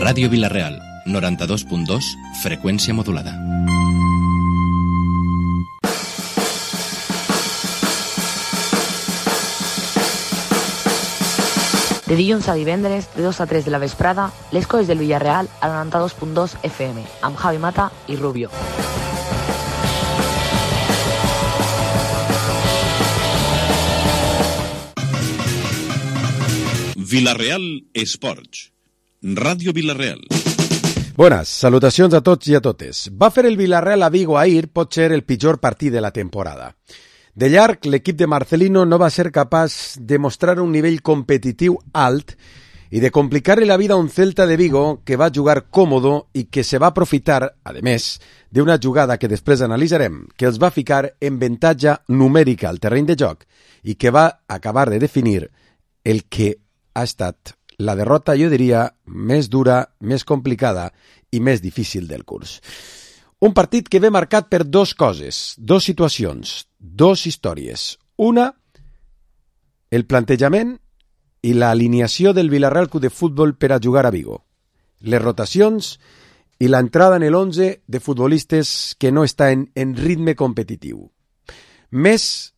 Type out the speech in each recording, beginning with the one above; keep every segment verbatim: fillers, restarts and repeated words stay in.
Ràdio Vila-real, noranta-dos punt dos, freqüència modulada. De dilluns a divendres, de dos a tres de la vesprada, les coses del Villarreal a noranta-dos punt dos F M, amb Javi Mata i Rubio. Vila-real Esports. Ràdio Vila-real. Bones, salutacions a tots i a totes. Va fer el Villarreal a Vigo ahir, pot ser el pitjor partit de la temporada. De llarg, l'equip de Marcelino no va ser capaç de mostrar un nivell competitiu alt i de complicar-li la vida a un Celta de Vigo que va jugar còmodo i que se va aprofitar, a més, d'una jugada que després analitzarem, que els va ficar en avantatge numèrica al terreny de joc i que va acabar de definir el que ha estat la derrota, jo diria, més dura, més complicada i més difícil del curs. Un partit que ve marcat per dos coses, dos situacions, dos històries. Una, el plantejament i l'alineació del Villarreal Club de Futbol per a jugar a Vigo. Les rotacions i l'entrada en l'onze de futbolistes que no està en, en ritme competitiu. Més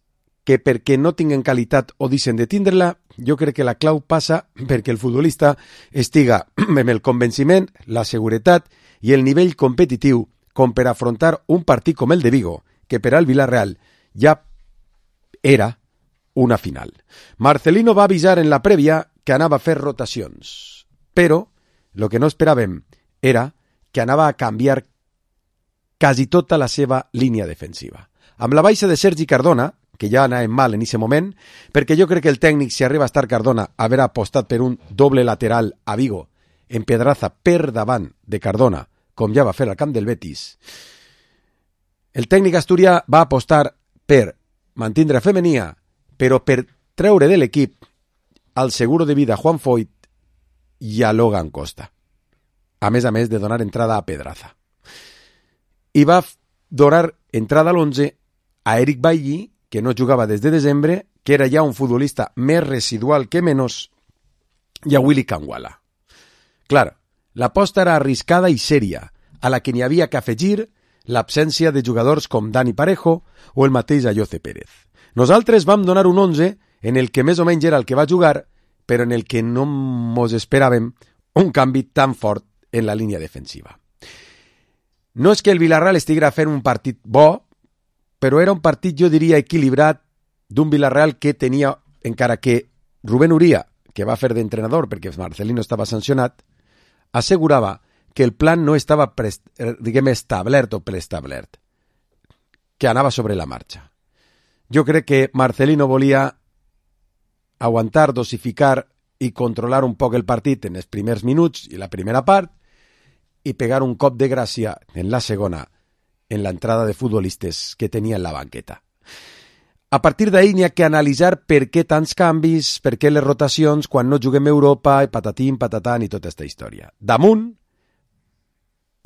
que perquè no tinguen qualitat o deixen de tindre-la, jo crec que la clau passa perquè el futbolista estiga amb el convenciment, la seguretat i el nivell competitiu com per afrontar un partit com el de Vigo, que per al Villarreal ja era una final. Marcelino va avisar en la prèvia que anava a fer rotacions, però el que no esperàvem era que anava a canviar quasi tota la seva línia defensiva. Amb la baixa de Sergi Cardona, que ja anàvem mal en aquest moment, perquè jo crec que el tècnic, si arriba a estar Cardona, haurà apostat per un doble lateral a Vigo, en Pedraza per davant de Cardona, com ja va fer al camp del Betis. El tècnic asturià va apostar per mantindre Femenia, però per treure de l'equip al seguro de vida Juan Foyt i a Logan Costa. A més a més de donar entrada a Pedraza. I va donar entrada a l'onze a Eric Bailly, que no jugava des de desembre, que era ja un futbolista més residual que menys, i a Willy Kangwala. Clar, l'aposta era arriscada i sèria, a la que n'hi havia que afegir l'absència de jugadors com Dani Parejo o el mateix Ayoce Pérez. Nosaltres vam donar un onze en el que més o menys era el que va jugar, però en el que no mos esperàvem un canvi tan fort en la línia defensiva. No és que el Villarreal estiguera fent un partit bo, però era un partit, jo diria, equilibrat d'un Villarreal que tenia, encara que Rubén Uría, que va fer d'entrenador perquè Marcelino estava sancionat, assegurava que el plan no estava, prest, diguem, establert o preestablert, que anava sobre la marxa. Jo crec que Marcelino volia aguantar, dosificar i controlar un poc el partit en els primers minuts i la primera part i pegar un cop de gràcia en la segona en l'entrada de futbolistes que tenia en la banqueta. A partir d'ahir n'hi ha que analitzar per què tants canvis, per què les rotacions quan no juguem a Europa, i patatim, patatán i tota aquesta història. Damunt,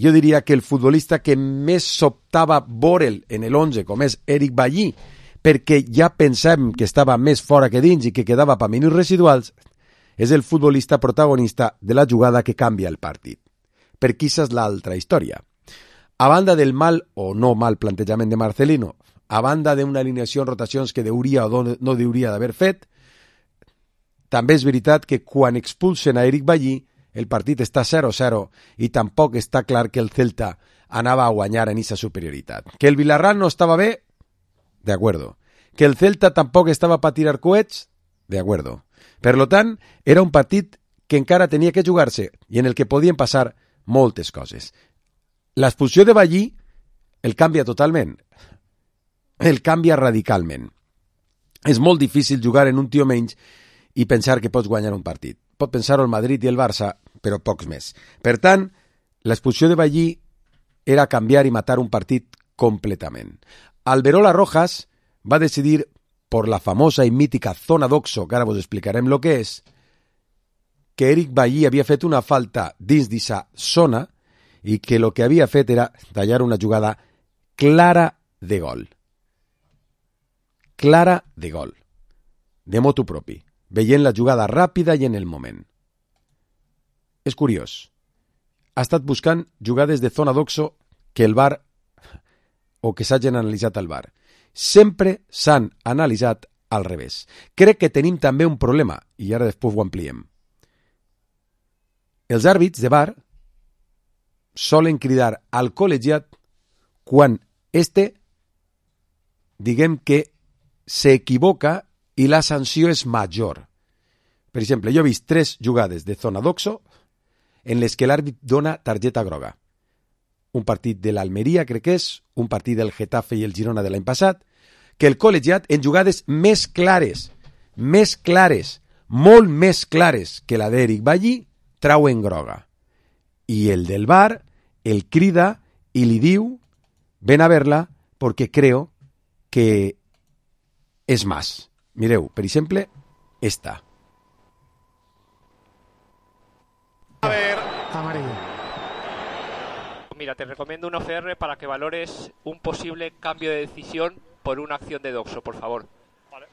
jo diria que el futbolista que més sobtava veure'l en l'onze, com és Eric Bailly, perquè ja pensem que estava més fora que dins i que quedava per minuts residuals, és el futbolista protagonista de la jugada que canvia el partit. Per qui és l'altra història. A banda del mal o no mal plantejament de Marcelino, a banda d'una alineació en rotacions que deuria o no deuria d'haver fet, també és veritat que quan expulsen a Eric Bailly, el partit està zero a zero i tampoc està clar que el Celta anava a guanyar en aquesta superioritat. Que el Villarreal no estava bé, de acuerdo. Que el Celta tampoc estava per tirar coets, de acuerdo. Per lo tant, era un partit que encara tenia que jugar-se i en el que podien passar moltes coses. L'expulsió de Bailly el canvia totalment. El canvia radicalment. És molt difícil jugar en un tio menys i pensar que pots guanyar un partit. Pot pensar-ho el Madrid i el Barça, però pocs més. Per tant, l'expulsió de Bailly era canviar i matar un partit completament. Alberola Rojas va decidir, por la famosa i mítica zona d'Oxo, que ara vos explicarem lo que és, que Eric Bailly havia fet una falta dins d'esa zona i que el que havia fet era tallar una jugada clara de gol. Clara de gol. De motu propi. Veient la jugada ràpida i en el moment. És curiós. ha estat buscant jugades de zona d'oxo que el V A R o que s'hagin analitzat al V A R. Sempre s'han analitzat al revés. Crec que tenim també un problema, i ara després ho ampliem. Els àrbits de V A R solen cridar al col·legiat quan este, diguem que s'equivoca i la sanció és major. Per exemple, jo he vist tres jugades de zona d'oxo en les que l'àrbit dona targeta groga. Un partit de l'Almeria, crec que és, un partit del Getafe i el Girona de l'any passat, que el col·legiat en jugades més clares, més clares, molt més clares que la d'Eric Ballí, trauen groga. I el del V A R el crida i li diu ven a verla perquè creo que és más. Mireu, per exemple, esta. A ver, amarillo. Mira, te recomiendo un O C R para que valores un posible cambio de decisión por una acción de doxo, por favor. Vale.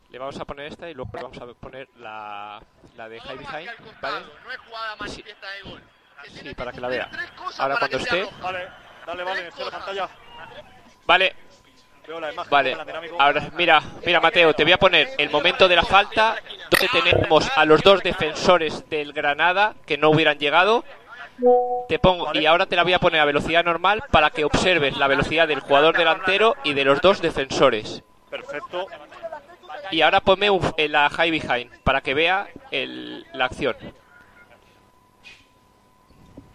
Le vamos a poner esta y luego le vamos a poner la, la de high behind, ¿vale? No es jugada manifiesta de gol. Sí, para que la vea. Ahora cuando esté... Vale, dale, vale, estoy en la pantalla. Vale. Veo la imagen. Vale, ahora mira, mira Mateo, te voy a poner el momento de la falta donde tenemos a los dos defensores del Granada que no hubieran llegado. Te pongo y ahora te la voy a poner a velocidad normal para que observes la velocidad del jugador delantero y de los dos defensores. Perfecto. Y ahora ponme un, en la high behind para que vea el, la acción.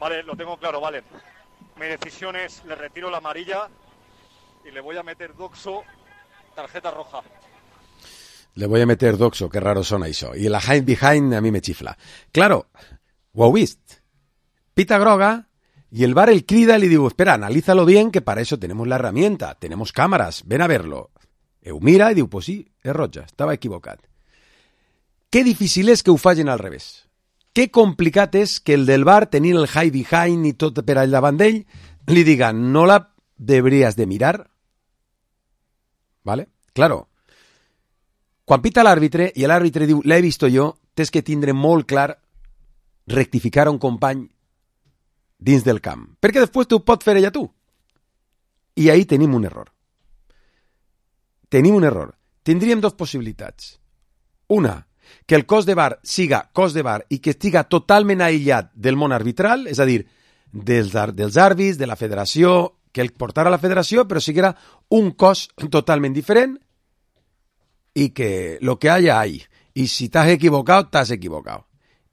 Vale, lo tengo claro, vale. Mi decisión es, le retiro la amarilla y le voy a meter doxo, tarjeta roja. Le voy a meter doxo, qué raro son això. I la high behind a mi me chifla. Claro, ho heu vist. Pita groga y el V A R el crida y le digo, espera, analízalo bien, que para eso tenemos la herramienta, tenemos cámaras, ven a verlo. Eu mira i diu, pues sí, és roja, estava equivocat. Que difícil és que ho facin al revés. Que complicat és que el del V A R, tenint el high behind i tot per al davant d'ell, li diga, no la deberías de mirar? ¿Vale? Claro. Quan pita l'àrbitre i l'àrbitre diu, l'he vist jo, tens que tindre molt clar rectificar a un company dins del camp. Perquè després t'ho pot fer ella tu. I ahí tenim un error. Tenim un error. Tindríem dues possibilitats. Una, que el cos de V A R siga cos de V A R i que estiga totalment aïllat del món arbitral, és a dir, dels, dels àrbits, de la federació, que el portara a la federació, però siguera un cos totalment diferent i que lo que haya hay. I si t'has equivocat, t'has equivocat.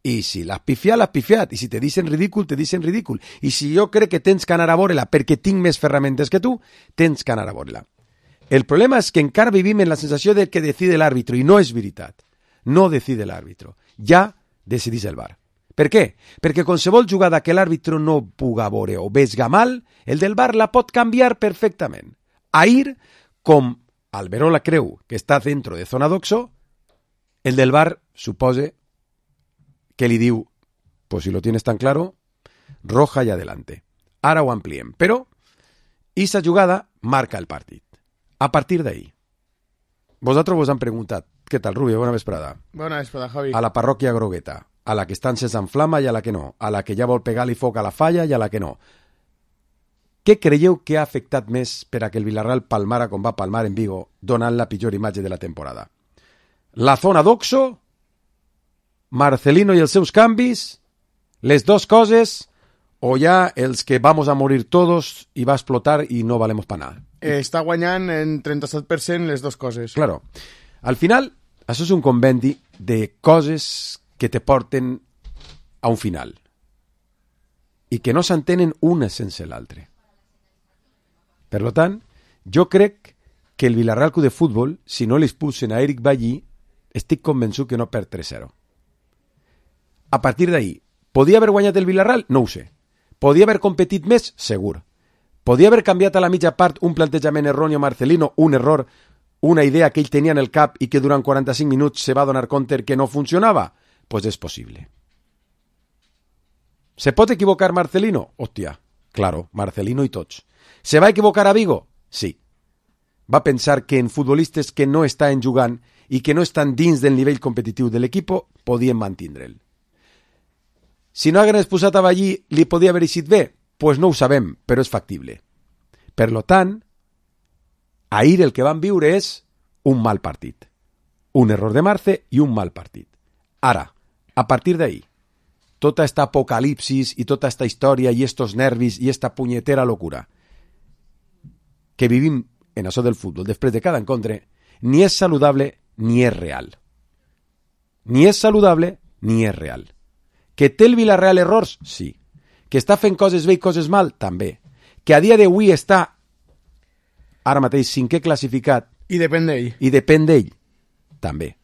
I si l'has pifiat, l'has pifiat. I si te dicen ridícul, te dicen ridícul. I si jo crec que tens que anar a veure-la perquè tinc més ferramentes que tu, tens que anar a veure-la. El problema és que encara vivim en la sensació de que decide l'àrbitro, i no és veritat. No decide l'àrbitro. Ja decidís el V A R. Per què? Perquè qualsevol jugada que l'àrbitro no puga veure o vesga mal, el del V A R la pot canviar perfectament. Ahir, com Alberola creu que està dentro de zona d'oxo, el del V A R supose que li diu, pues si lo tienes tan claro, roja y adelante. Ara ho ampliem. Però, esa jugada marca el partit. A partir d'ahí. Vosaltres vos han preguntat, què tal, Rubio? Bona vesprada. Bona vesprada, Javi. A la parròquia Grogueta, a la que estan sense enflama i a la que no, a la que ja vol pegar-li foc a la falla i a la que no. Què creieu que ha afectat més per a que el Villarreal palmara com va palmar en Vigo, donant la pitjor imatge de la temporada? La zona d'oxo, Marcelino i els seus canvis, les dos coses, o ja els que vamos a morir todos i va explotar i no valemos pa nada? Eh, està guanyant en trenta-set per cent les dues coses. Claro. Al final, això és un convendi de coses que te porten a un final i que no s'entenen una sense l'altra. Per tant, jo crec que el Villarreal Club de Futbol, si no li expulsen a Eric Ballí, estic convençut que no perd tres zero. A partir d'ahí, podia haver guanyat el Villarreal? No ho sé. Podia haver competit més? Segur. Podia haver canviat a la mitja part un plantejament erroni a Marcelino, un error, una idea que ell tenia en el cap i que durant quaranta-cinc minuts se va donar compte que no funcionava? Pues és possible. ¿Se pot equivocar Marcelino? Hòstia, claro, Marcelino i tots. ¿Se va equivocar a Vigo? Sí. Va pensar que en futbolistes que no estan jugant i que no estan dins del nivell competitiu de l'equip podien mantindre'l. Si no hagués posat a Ballí, li podia haver eixit bé? Pues no ho sabem, però és factible. Per lo tant, ahir el que van viure és un mal partit. Un error de Marce i un mal partit. Ara, a partir d'ahí, tota esta apocalipsis i tota esta història i estos nervis i esta punyetera locura que vivim en això del futbol després de cada encontre, ni és saludable ni és real. Ni és saludable ni és real. Que té el Villarreal errors? Sí. Que està fent coses bé i coses mal? També. Que a dia d'avui està ara mateix cinquè classificat I depèn d'ell. i depèn d'ell? També.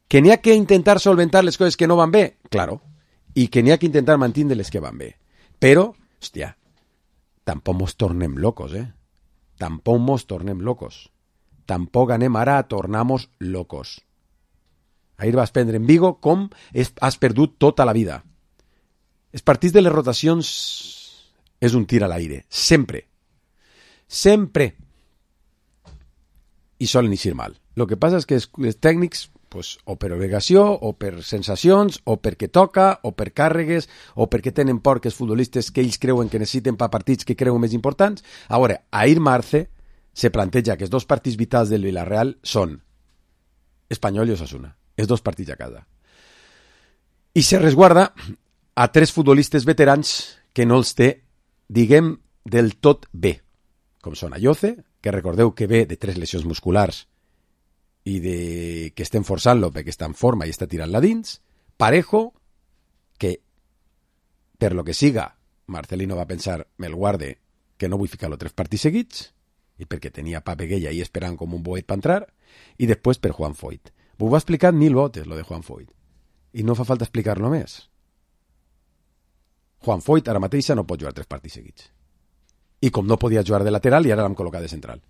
Que n'hi ha que intentar solventar les coses que no van bé? Claro. I que n'hi ha que intentar mantenir les que van bé. Però, hòstia, tampoc mos tornem locos, eh? Tampoc mos tornem locos. Tampoc anem ara a tornar-nos locos. Ahir vas prendre en Vigo com has perdut tota la vida. Els partits de les rotacions és un tir a l'aire. Sempre. Sempre. I solen eixir mal. El que passa és que els tècnics, pues, o per obligació, o per sensacions, o perquè toca, o per càrregues, o perquè tenen por que els futbolistes que ells creuen que necessiten per partits que creuen més importants. A veure, ahir Marce se planteja que els dos partits vitals del Villarreal són Espanyol i Osasuna. Els dos partits a casa. I se resguarda a tres futbolistes veterans que no els té, diguem, del tot bé. Com són Ayoce, que recordeu que ve de tres lesions musculars i de que estem forçant-lo perquè està en forma i està tirant-la dins. Parejo, que per lo que siga, Marcelino va pensar, me'l guarde, que no vull ficar-lo tres partits seguits, i perquè tenia Pape Gueye ahí esperant com un boet per entrar, i després per Juan Foyt. Ho va explicar mil votes, lo de Juan Foyt. I no fa falta explicar-lo més. Juan Foyt ara mateixa no pot jugar tres partits seguits. I com no podia jugar de lateral, i ara l'hem col·locat de central.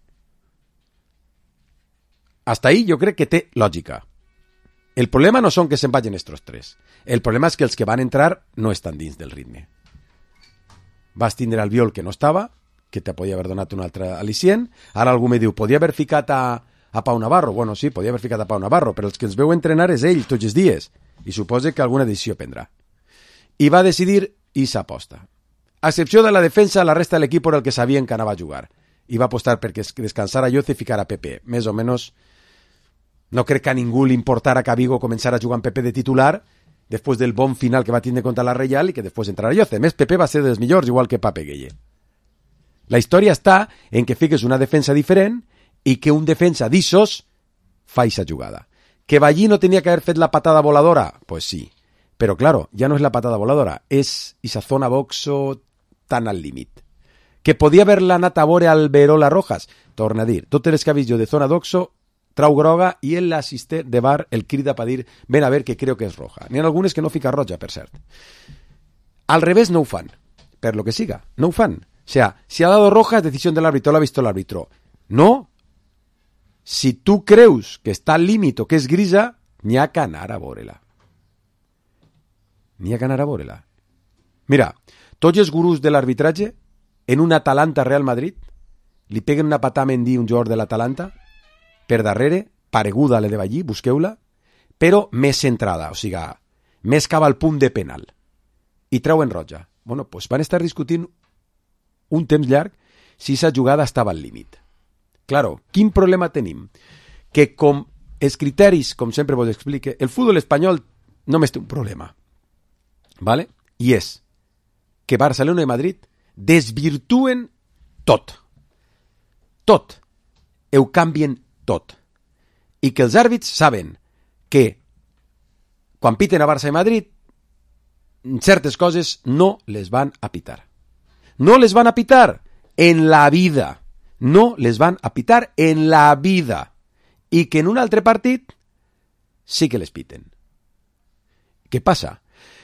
Hasta ahí jo crec que té lògica. El problema no són que se'n vagin estos tres. El problema és que els que van entrar no estan dins del ritme. Vas tindre Albiol que no estava, que te podia haver donat un altre al·licient. Ara algú me diu, podia haver ficat a, a Pau Navarro. Bueno, sí, podia haver ficat a Pau Navarro, però els que els veu entrenar és ell tots els dies. I suposa que alguna decisió prendrà. I va decidir i s'aposta. A excepció de la defensa, la resta de l'equip era el que sabien que anava a jugar. I va apostar perquè descansara Ayoce i ficara a Pepe. Més o menys, no crec que a ningú li importara que a Vigo començara a jugar amb Pepe de titular després del bon final que va tindre contra la Reial i que després entrarà Ayoce. A més, Pepe va ser dels millors, igual que Pape Gueye. La història està en que fiques una defensa diferent i que un defensa d'Issos fa aquesta jugada. ¿Que Ballí no tenía que haber fet la patada voladora? Pues sí. Pero claro, ya no es la patada voladora, es esa zona boxo tan al límit. Que podia haver-la anat a veure al Verola Rojas? Torna a dir, totes les que ha vist jo de zona d'oxo, trau groga i el l'assistent de bar el crida per dir, ven a ver que creo que és roja. N'hi ha algunes que no fica roja, per cert. Al revés no ho fan, per lo que siga, no ho fan. O sea, si ha dado roja es decisión del árbitro, lo ha visto el árbitro. No. Si tu creus que està al límit o que és grisa, n'hi ha que anar a veure-la. N'hi ha que anar a veure-la. Mira, tots els gurús de l'arbitratge, en un Atalanta-Real Madrid, li peguen una patada a Mendy, un jugador de l'Atalanta, per darrere, pareguda a la de Ballí, busqueu-la, però més centrada, o sigui, més cap al punt de penal. I treuen roja. Bueno, doncs van estar discutint un temps llarg si aquesta jugada estava al límit. Claro, quin problema tenim? Que com els criteris, com sempre vos explique, el futbol espanyol només té un problema. ¿Vale? I és que Barcelona i Madrid desvirtuen tot. Tot. Ho canvien tot. I que els àrbits saben que quan piten a Barça i Madrid certes coses no les van a pitar. No les van a pitar en la vida. No les van a pitar en la vida. I que en un altre partit sí que les piten. Què passa?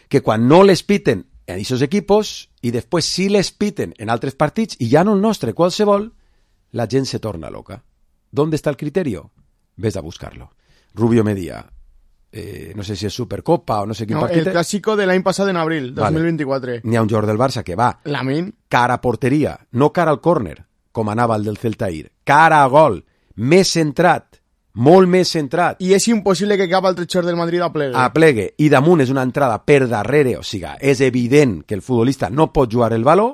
Que quan no les piten en aquests equipos i després sí les piten en altres partits i ja no el nostre, qualsevol, la gent se torna loca. ¿Dónde está el criterio? Ves a buscarlo. Rubio Medía, eh, no sé si és Supercopa o no sé quin no, partit. El clàssico de l'any passat en abril, dos mil vint-i-quatre. Vale. N'hi ha un jugador del Barça que va Lamin. cara a porteria, no cara al córner, com anava el del Celta ahir. Cara a gol, més centrat molt més centrat. I és impossible que cap altre xor del Madrid aplegue. Aplegue, i damunt és una entrada per darrere, o sigui, és evident que el futbolista no pot jugar el baló,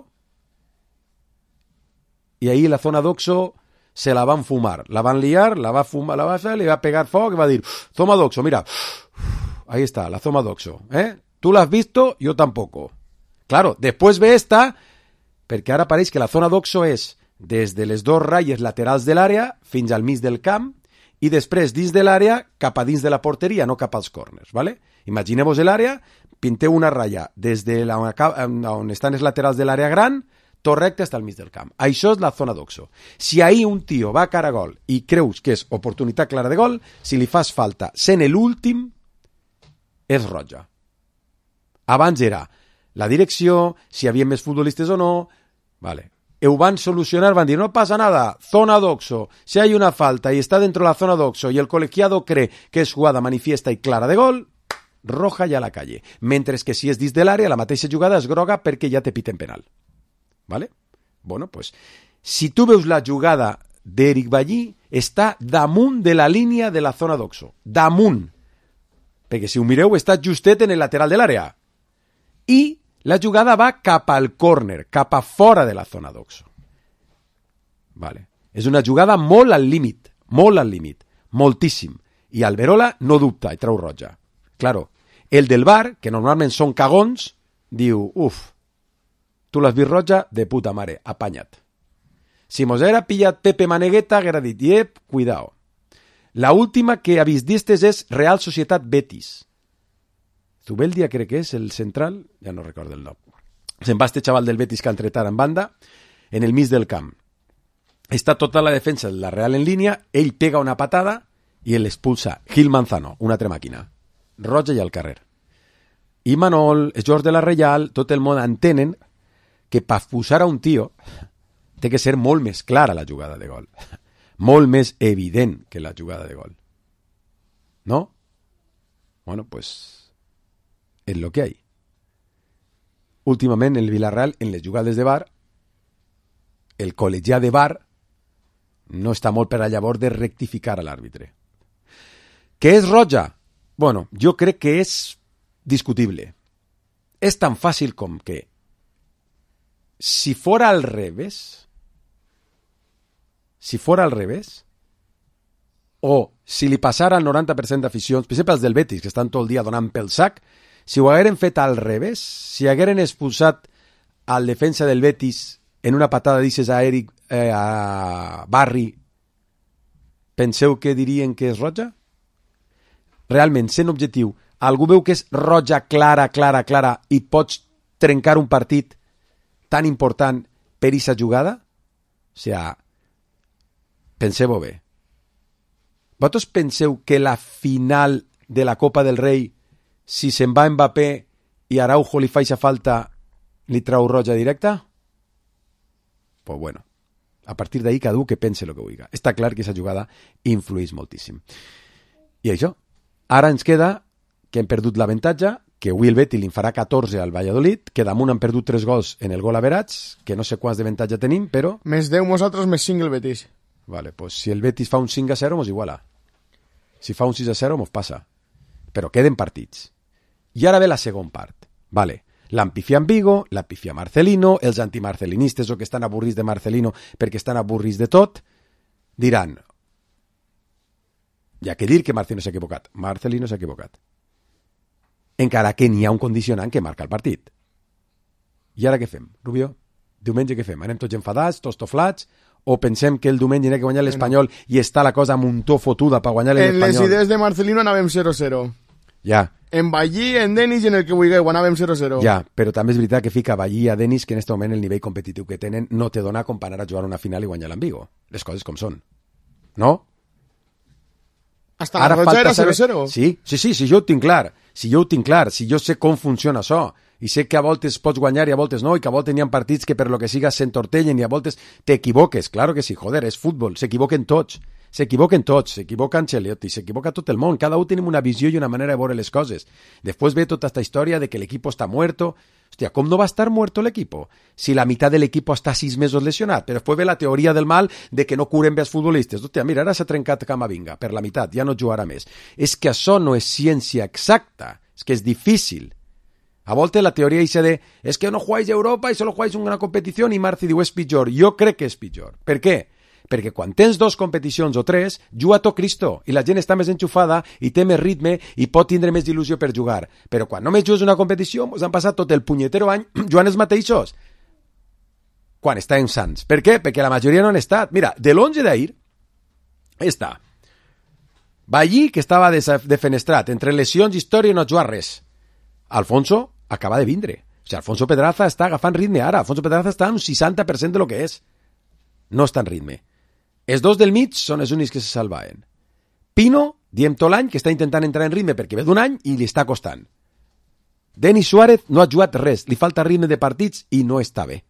i ahí la zona d'Oxo se la van fumar, la van liar, la va fumar, la va hacer, le va pegar foc y va a decir, zona d'Oxo, mira, ahí está, la zona d'Oxo, ¿eh? Tú la has visto, yo tampoco. Claro, después ve esta, perquè ara pareix que la zona d'Oxo és des de les dos ratlles laterals de l'àrea fins al mig del camp i després dins de l'àrea cap a dins de la porteria, no cap als corners, ¿vale? Imagineu-vos l'àrea, pinteu una ratlla des de la, on estan els laterals de l'àrea gran, tot recte hasta el mig del camp. Això és la zona d'Oxo. Si ahí un tio va a cara a gol i creus que és oportunitat clara de gol, si li fas falta sent l'últim, és roja. Abans era la direcció, si hi havia més futbolistes o no, vale. Ho van solucionar, van dir, no pasa nada, zona d'Oxo, si hay una falta y está dentro de la zona d'Oxo y el colegiado cree que es jugada manifiesta y clara de gol, roja ja a la calle. Mentre que si és dins de l'àrea, la mateixa jugada és groga perquè ja te piten penal. ¿Vale? Bueno, pues, si tu veus la jugada d'Eric Ballí, està damunt de la línia de la zona d'Oxo. Damunt. Perquè si ho mireu, està justet en el lateral de l'àrea. I la jugada va cap al córner, cap a fora de la zona d'Oxo. Vale. És una jugada molt al límit, molt al límit, moltíssim. I Alberola no dubta i treu roja. Claro, el del V A R, que normalment són cagons, diu, uf, tu l'has vist roja? De puta mare, apanya't. Si mos era pillat Pepe Manegueta, haguera dit, yep, cuidao. La última que ha vist d'estes és Real Societat Betis. Zubeldia crec que és el central, ja no recordo el nom. Se'n va este xaval del Betis que ha entretat en banda, en el mig del camp. Està tota la defensa de la Real en línia, ell pega una patada i l'expulsa Gil Manzano, una altra màquina. Roja i al carrer. I Manol, els jugadors de la Reial, tot el món entenen que per expulsar a un tio té que ser molt més clara la jugada de gol. Molt més evident que la jugada de gol. ¿No? Bueno, pues es lo que hay. Últimament, el Villarreal, en les jugades de V A R, el col·legiat de V A R no està molt per a llavors de rectificar a l'àrbitre. ¿Què és roja? Bueno, jo crec que és discutible. És tan fàcil com que si fora al revés, si fora al revés, o si li passara al noranta per cent d'aficions, per exemple els del Betis, que estan tot el dia donant pel sac, si ho hagueren fet al revés, si hagueren expulsat al defensa del Betis en una patada, dices a Eric, eh, a Barri, penseu que dirien que és roja? Realment, sent objectiu, algú veu que és roja clara, clara, clara i pots trencar un partit tan important per aquesta jugada? O sigui, penseu-ho bé. Vosaltres penseu que la final de la Copa del Rei, si se'n va Mbappé i Araujo li fa aquesta falta, li trau roja directa? Pues bueno, a partir d'ahí cada un que pense el que vulgui. Està clar que aquesta jugada influeix moltíssim. I això, ara ens queda que hem perdut l'avantatge, que avui el Betis li farà catorze al Valladolid, que damunt han perdut tres gols en el gol average, que no sé quants d'avantatge tenim, però... Més deu nosaltres, més cinc el Betis. Vale, pues si el Betis fa un cinc a zero, mos iguala. Si fa un sis a zero, mos passa. Però queden partits. I ara ve la segona part. Vale, l'empifia en Vigo, l'empifia Marcelino, els antimarcelinistes o que estan avorrits de Marcelino perquè estan avorrits de tot, diran, hi ha que dir que Marcelino s'ha equivocat. Marcelino s'ha equivocat. Encara que n'hi ha un condicionant que marca el partit. I ara què fem, Rubio? Diumenge què fem? Anem tots enfadats, tots toflats, o pensem que el diumenge n'hi ha que guanyar l'Espanyol i està la cosa muntó fotuda per guanyar l'Espanyol? En les idees de Marcelino anàvem zero zero. Ja. En Ballí, en Denis i en el que vulgueu, anàvem zero zero. Ja, però també és veritat que fica Ballí a Denis que en aquest moment el nivell competitiu que tenen no te dona com per anar a jugar una final i guanyar l'Ambigo. Les coses com són. No? Hasta la roja era zero zero. Sí, sí, sí, sí, jo ho tinc clar. Si jo ho tinc clar, si jo sé com funciona això, i sé que a voltes pots guanyar i a voltes no, i que a voltes n'hi ha partits que per lo que siga s'entortellen i a voltes t'equivoques, claro que sí, joder, és futbol, s'equivoquen tots, S'equivoquen tots, s'equivoca Ancelotti, s'equivoca tot el món, cada un tenim una visió i una manera de veure les coses. Després ve tota esta història de que l'equipo està muerto. Hòstia, com no va estar muerto l'equipo? Si la meitat de l'equipo està sis mesos lesionat, però després ve la teoria del mal de que no curen bé els futbolistes. Hòstia, mira, ara s'ha trencat Camavinga per la meitat, ja no jugarà més. És que això no és ciència exacta, és que és difícil. A voltes la teoria dice de es que no jugáis a Europa i solo jugáis una competició i Marci diu és pitjor. Jo crec que és pitjor. Per què? Perquè quan tens dos competicions o tres, juga tot Cristo, i la gent està més enxufada i té més ritme i pot tindre més il·lusió per jugar. Però quan només jugues una competició, us han passat tot el punyetero any jugant els mateixos. Quan estan sants. Per què? Perquè la majoria no han estat. Mira, de l'onze d'ahir està Ballí, que estava defenestrat, entre lesions, història i no jugar res. Alfonso acaba de vindre. O sigui, Alfonso Pedraza està agafant ritme ara. Alfonso Pedraza està en un seixanta per cent de lo que és. No està en ritme. Els dos del mig són els únics que se salvaven. Pino, diem tot l'any, que està intentant entrar en ritme perquè ve d'un any i li està costant. Denis Suárez no ha jugat res, li falta ritme de partits i no està bé.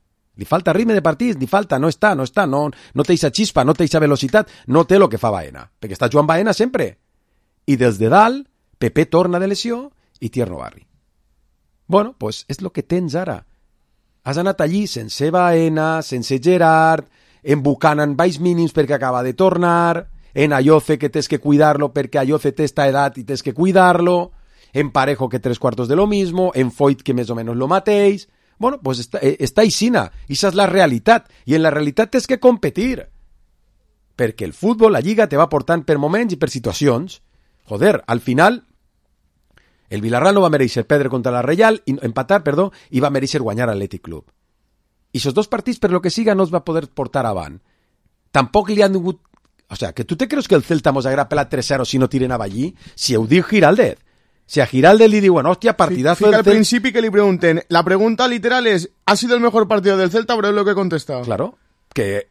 Li falta ritme de partits, li falta, no està, no està, no, no té eixa xispa, no té eixa velocitat, no té el que fa Baena, perquè està jugant Baena sempre. I des de dalt, Pepe torna de lesió i Tierno Barri. Bueno, pues és el que tens ara. Has anat allí sense Baena, sense Gerard, en Buchanan baix mínims perquè acaba de tornar, en Ayoce que tens que cuidarlo perquè Ayoce té esta edat i tens que cuidarlo, en Parejo que tres cuartos de lo mismo, en Foyt que més o menys lo mateix. Bueno, pues està, està aixina, i això és la realitat, i en la realitat tens que competir, perquè el futbol, la lliga, te va portant per moments i per situacions. Joder, al final, el Villarreal no va mereixer perdre contra la Reial, i, empatar, perdó, i va mereixer guanyar l'Atlètic Club. I esos dos partits, per lo que siga, no es va poder portar avant. Tampoc li han tingut... O sea, que tu te creus que el Celta mos haguera pelat tres cero si no tiren a Ballí? Si ho diu Giraldez. Si a Giraldez li diuen, hòstia, partidazo Fica del al Celta... principi que li pregunten, la pregunta literal es, ¿ha sido el mejor partido del Celta? Pero es lo que he contestado. Claro, que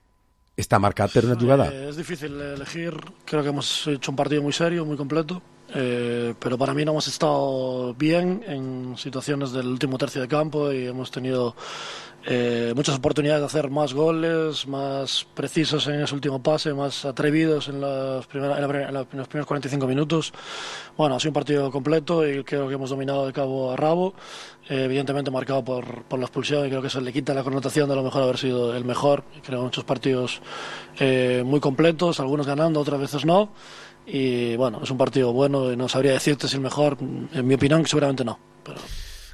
está marcat per una jugada. Eh, es difícil elegir, creo que hemos hecho un partido muy serio, muy completo. Eh, pero para mí no hemos estado bien en situaciones del último tercio de campo y hemos tenido eh, muchas oportunidades de hacer más goles, más precisos en ese último pase, más atrevidos en, las primeras, en, la, en, la, en los primeros cuarenta y cinco minutos. Bueno, ha sido un partido completo y creo que hemos dominado de cabo a rabo, eh, evidentemente marcado por, por la expulsión, y creo que eso le quita la connotación de lo mejor haber sido el mejor. Creo muchos partidos eh, muy completos, algunos ganando, otras veces no. Y bueno, es un partido bueno y no sabría decirte si el mejor, en mi opinión seguramente no, pero...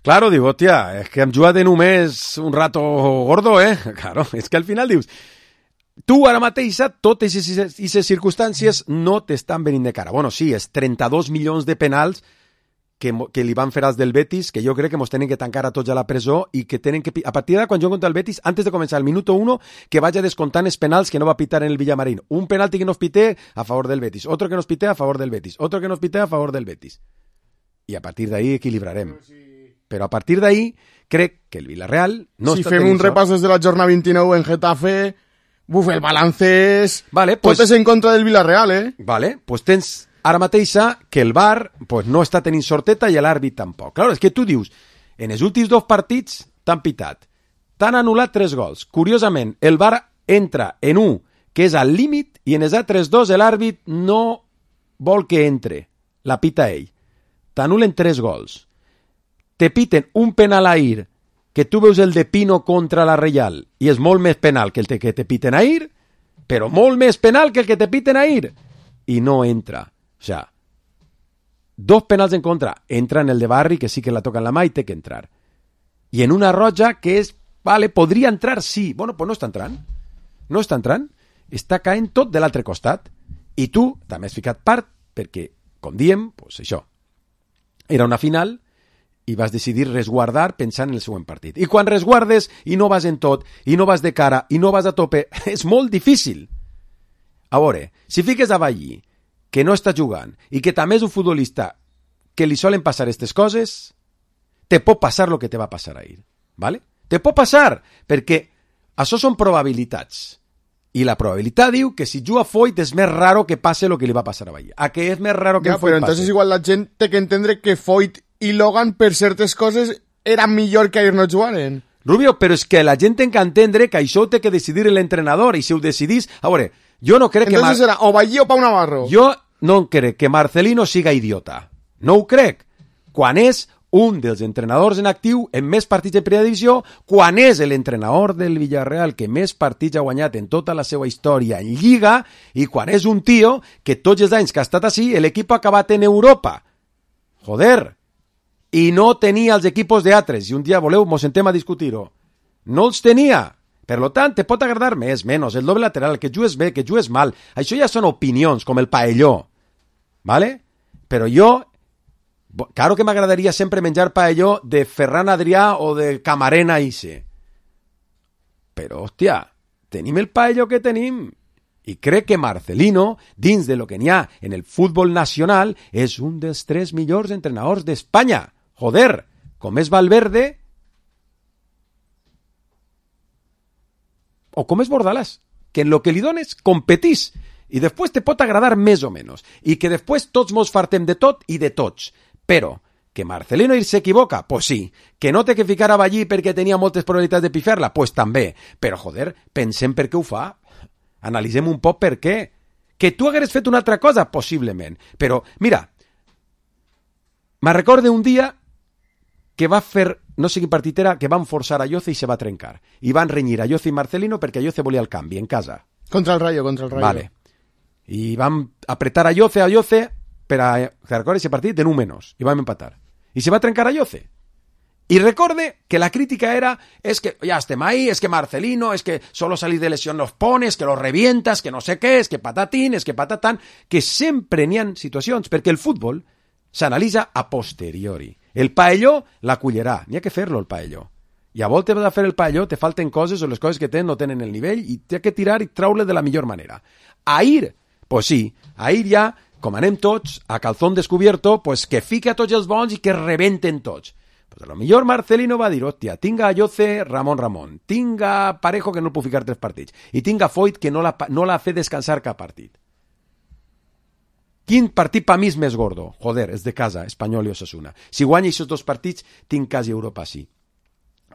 Claro, digo, hòstia, és que hem jugat en només un rato gordo, eh? Claro, és que al final dius, tu ara mateix, totes aquestes circumstàncies no t'estan venint de cara. Bueno, sí, és trenta-dos milions de penals que, que li van fer als del Betis, que jo crec que mos tenen que tancar a tots a la presó i que tenen que, a partir de quan jo contra el Betis, antes de començar el minuto uno, que vaya descontant els penals que no va pitar en el Villamarín. Un penalti que nos pité a favor del Betis, otro que nos pité a favor del Betis, otro que nos pité a favor del Betis. I a partir d'ahí equilibrarem. Però a partir d'ahí crec que el Villarreal no si està fem tenint un repàs des de la jornada vint-i-nou en Getafe, buf, el balance és... Vale, pues, tot és en contra del Villarreal, eh? Vale, pues tens ara mateixa que el V A R pues, no està tenint sorteta i l'àrbit tampoc. Claro, és que tu dius, en els últims dos partits t'han pitat, t'han anul·lat tres gols. Curiosament, el V A R entra en un que és al límit i en els altres dos l'àrbit no vol que entre, la pita ell. T'anulen tres gols. Te piten un penal ahir, que tu veus el de Pino contra la Reial, i és molt més penal que el que te piten ahir, però molt més penal que el que te piten ahir, i no entra. O sea, dos penals en contra, entra en el de Barri, que sí que la toca en la mà i té que entrar. I en una roja que és, vale, podria entrar, sí. Bueno, pues no està entrant. No està entrant. Està caent tot de l'altre costat. I tu també has ficat part, perquè, com diem, pues això, era una final i vas decidir resguardar pensant en el següent partit. I quan resguardes i no vas en tot, i no vas de cara, i no vas a tope, és molt difícil. A veure, si fiques a Ballí, que no està jugant, i que també és un futbolista que li solen passar aquestes coses, te pot passar el que te va passar ahir. ¿Vale? Te pot passar, perquè això són probabilitats. I la probabilitat diu que si juga Foyt és més raro que passe el que li va passar a Ballí. A que és més raro que ja, Foyt però passe. entonces igual la gent té que entendre que Foyt i Logan per certes coses eren millor que ahir no jugaren. Rubio, però és que la gent té que entendre que això té que decidir l'entrenador, i si ho decidís... A veure, Jo no crec Entonces que... Mar... serà o Ballí o Pau Navarro. Jo no crec que Marcelino siga idiota. No ho crec. Quan és un dels entrenadors en actiu en més partits de primera divisió, quan és l'entrenador del Villarreal que més partits ha guanyat en tota la seva història en Lliga, i quan és un tio que tots els anys que ha estat així, l'equip ha acabat en Europa. Joder. I no tenia els equipos d'altres. Si un dia voleu, mos sentem a discutir-ho. No els tenia. Per lo tant, te pot agradar més, menys, el doble lateral, que jugues bé, que jugues mal. Això ja són opinions, com el paelló. ¿Vale? Però jo... Claro que m'agradaria sempre menjar paelló de Ferran Adrià o de Camarena Ise. Però, hòstia, tenim el paelló que tenim. I crec que Marcelino, dins de lo que n'hi ha en el futbol nacional, és un dels tres millors entrenadors d'Espanya. Joder, com és Valverde o com és Bordalàs, que en lo que li dones competís. I després te pot agradar més o menys. I que després tots mos fartem de tot i de tots. Però, que Marcelino s'equivoca? Pues sí. Que no té que ficar a Ballí perquè tenia moltes probabilitats de pifer-la? Pues també. Però, joder, pensem per què ho fa. Analitzem un poc per què. Que tu hagueres fet una altra cosa? Possiblement. Però, mira, me recorde un dia que va fer, no sé quin partit era, que van forçar a Ayoce i se va trencar. I van renyir a Ayoce i Marcelino perquè Ayoce volia el canvi en casa. Contra el Rayo, contra el Rayo. Vale. I van apretar a Ayoce, a Ayoce, per a recordar ese partit de un menos, i vam empatar. I se va trencar a Ayoce. I recorde que la crítica era, es que ya estem ahí, es que Marcelino, es que solo salir de lesión los pones, que los revientas, que no sé què, es que patatín, es que patatán, que sempre n'hi ha situacions, perquè el futbol s'analitza a posteriori. El paelló la cullerà, n'hi ha que fer-lo el paelló. I a voltes de fer el paelló te falten coses o les coses que tenen no tenen el nivell i t'ha que tirar i traure de la millor manera. Ahir, pues sí, ahir ja com anem tots, a calzón descubierto, pues que fique a tots els bons i que rebenten tots. Pues a lo millor Marcelino va dir, hòstia, tinga a Ayoce, Ramon Ramon, tinga Parejo, que no el puc ficar tres partits, i tinga Foyt, que no la, no la fe descansar cap partit. Quin partit per mi és més gordo? Joder, és de casa, Espanyol i Osasuna. Si guanya aquests dos partits, tinc quasi Europa, sí.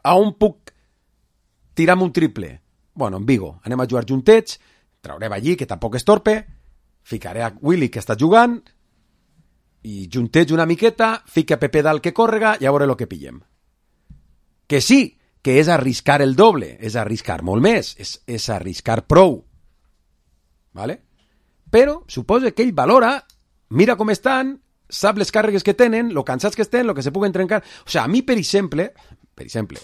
A on puc tirar-me un triple? Bueno, en Vigo. Anem a jugar juntets, traurem allí, que tampoc és torpe, ficaré a Willy, que està jugant, i junteig una miqueta, fica a Pepe Dal que córrega, i a veure el que pillem. Que sí, que és arriscar el doble, és arriscar molt més, és, és arriscar prou. ¿Vale? Però suposo que ell valora, mira com estan, sap les càrregues que tenen, lo cansats que estan, lo que se puguen trencar. O sea, a mi, per exemple, per exemple,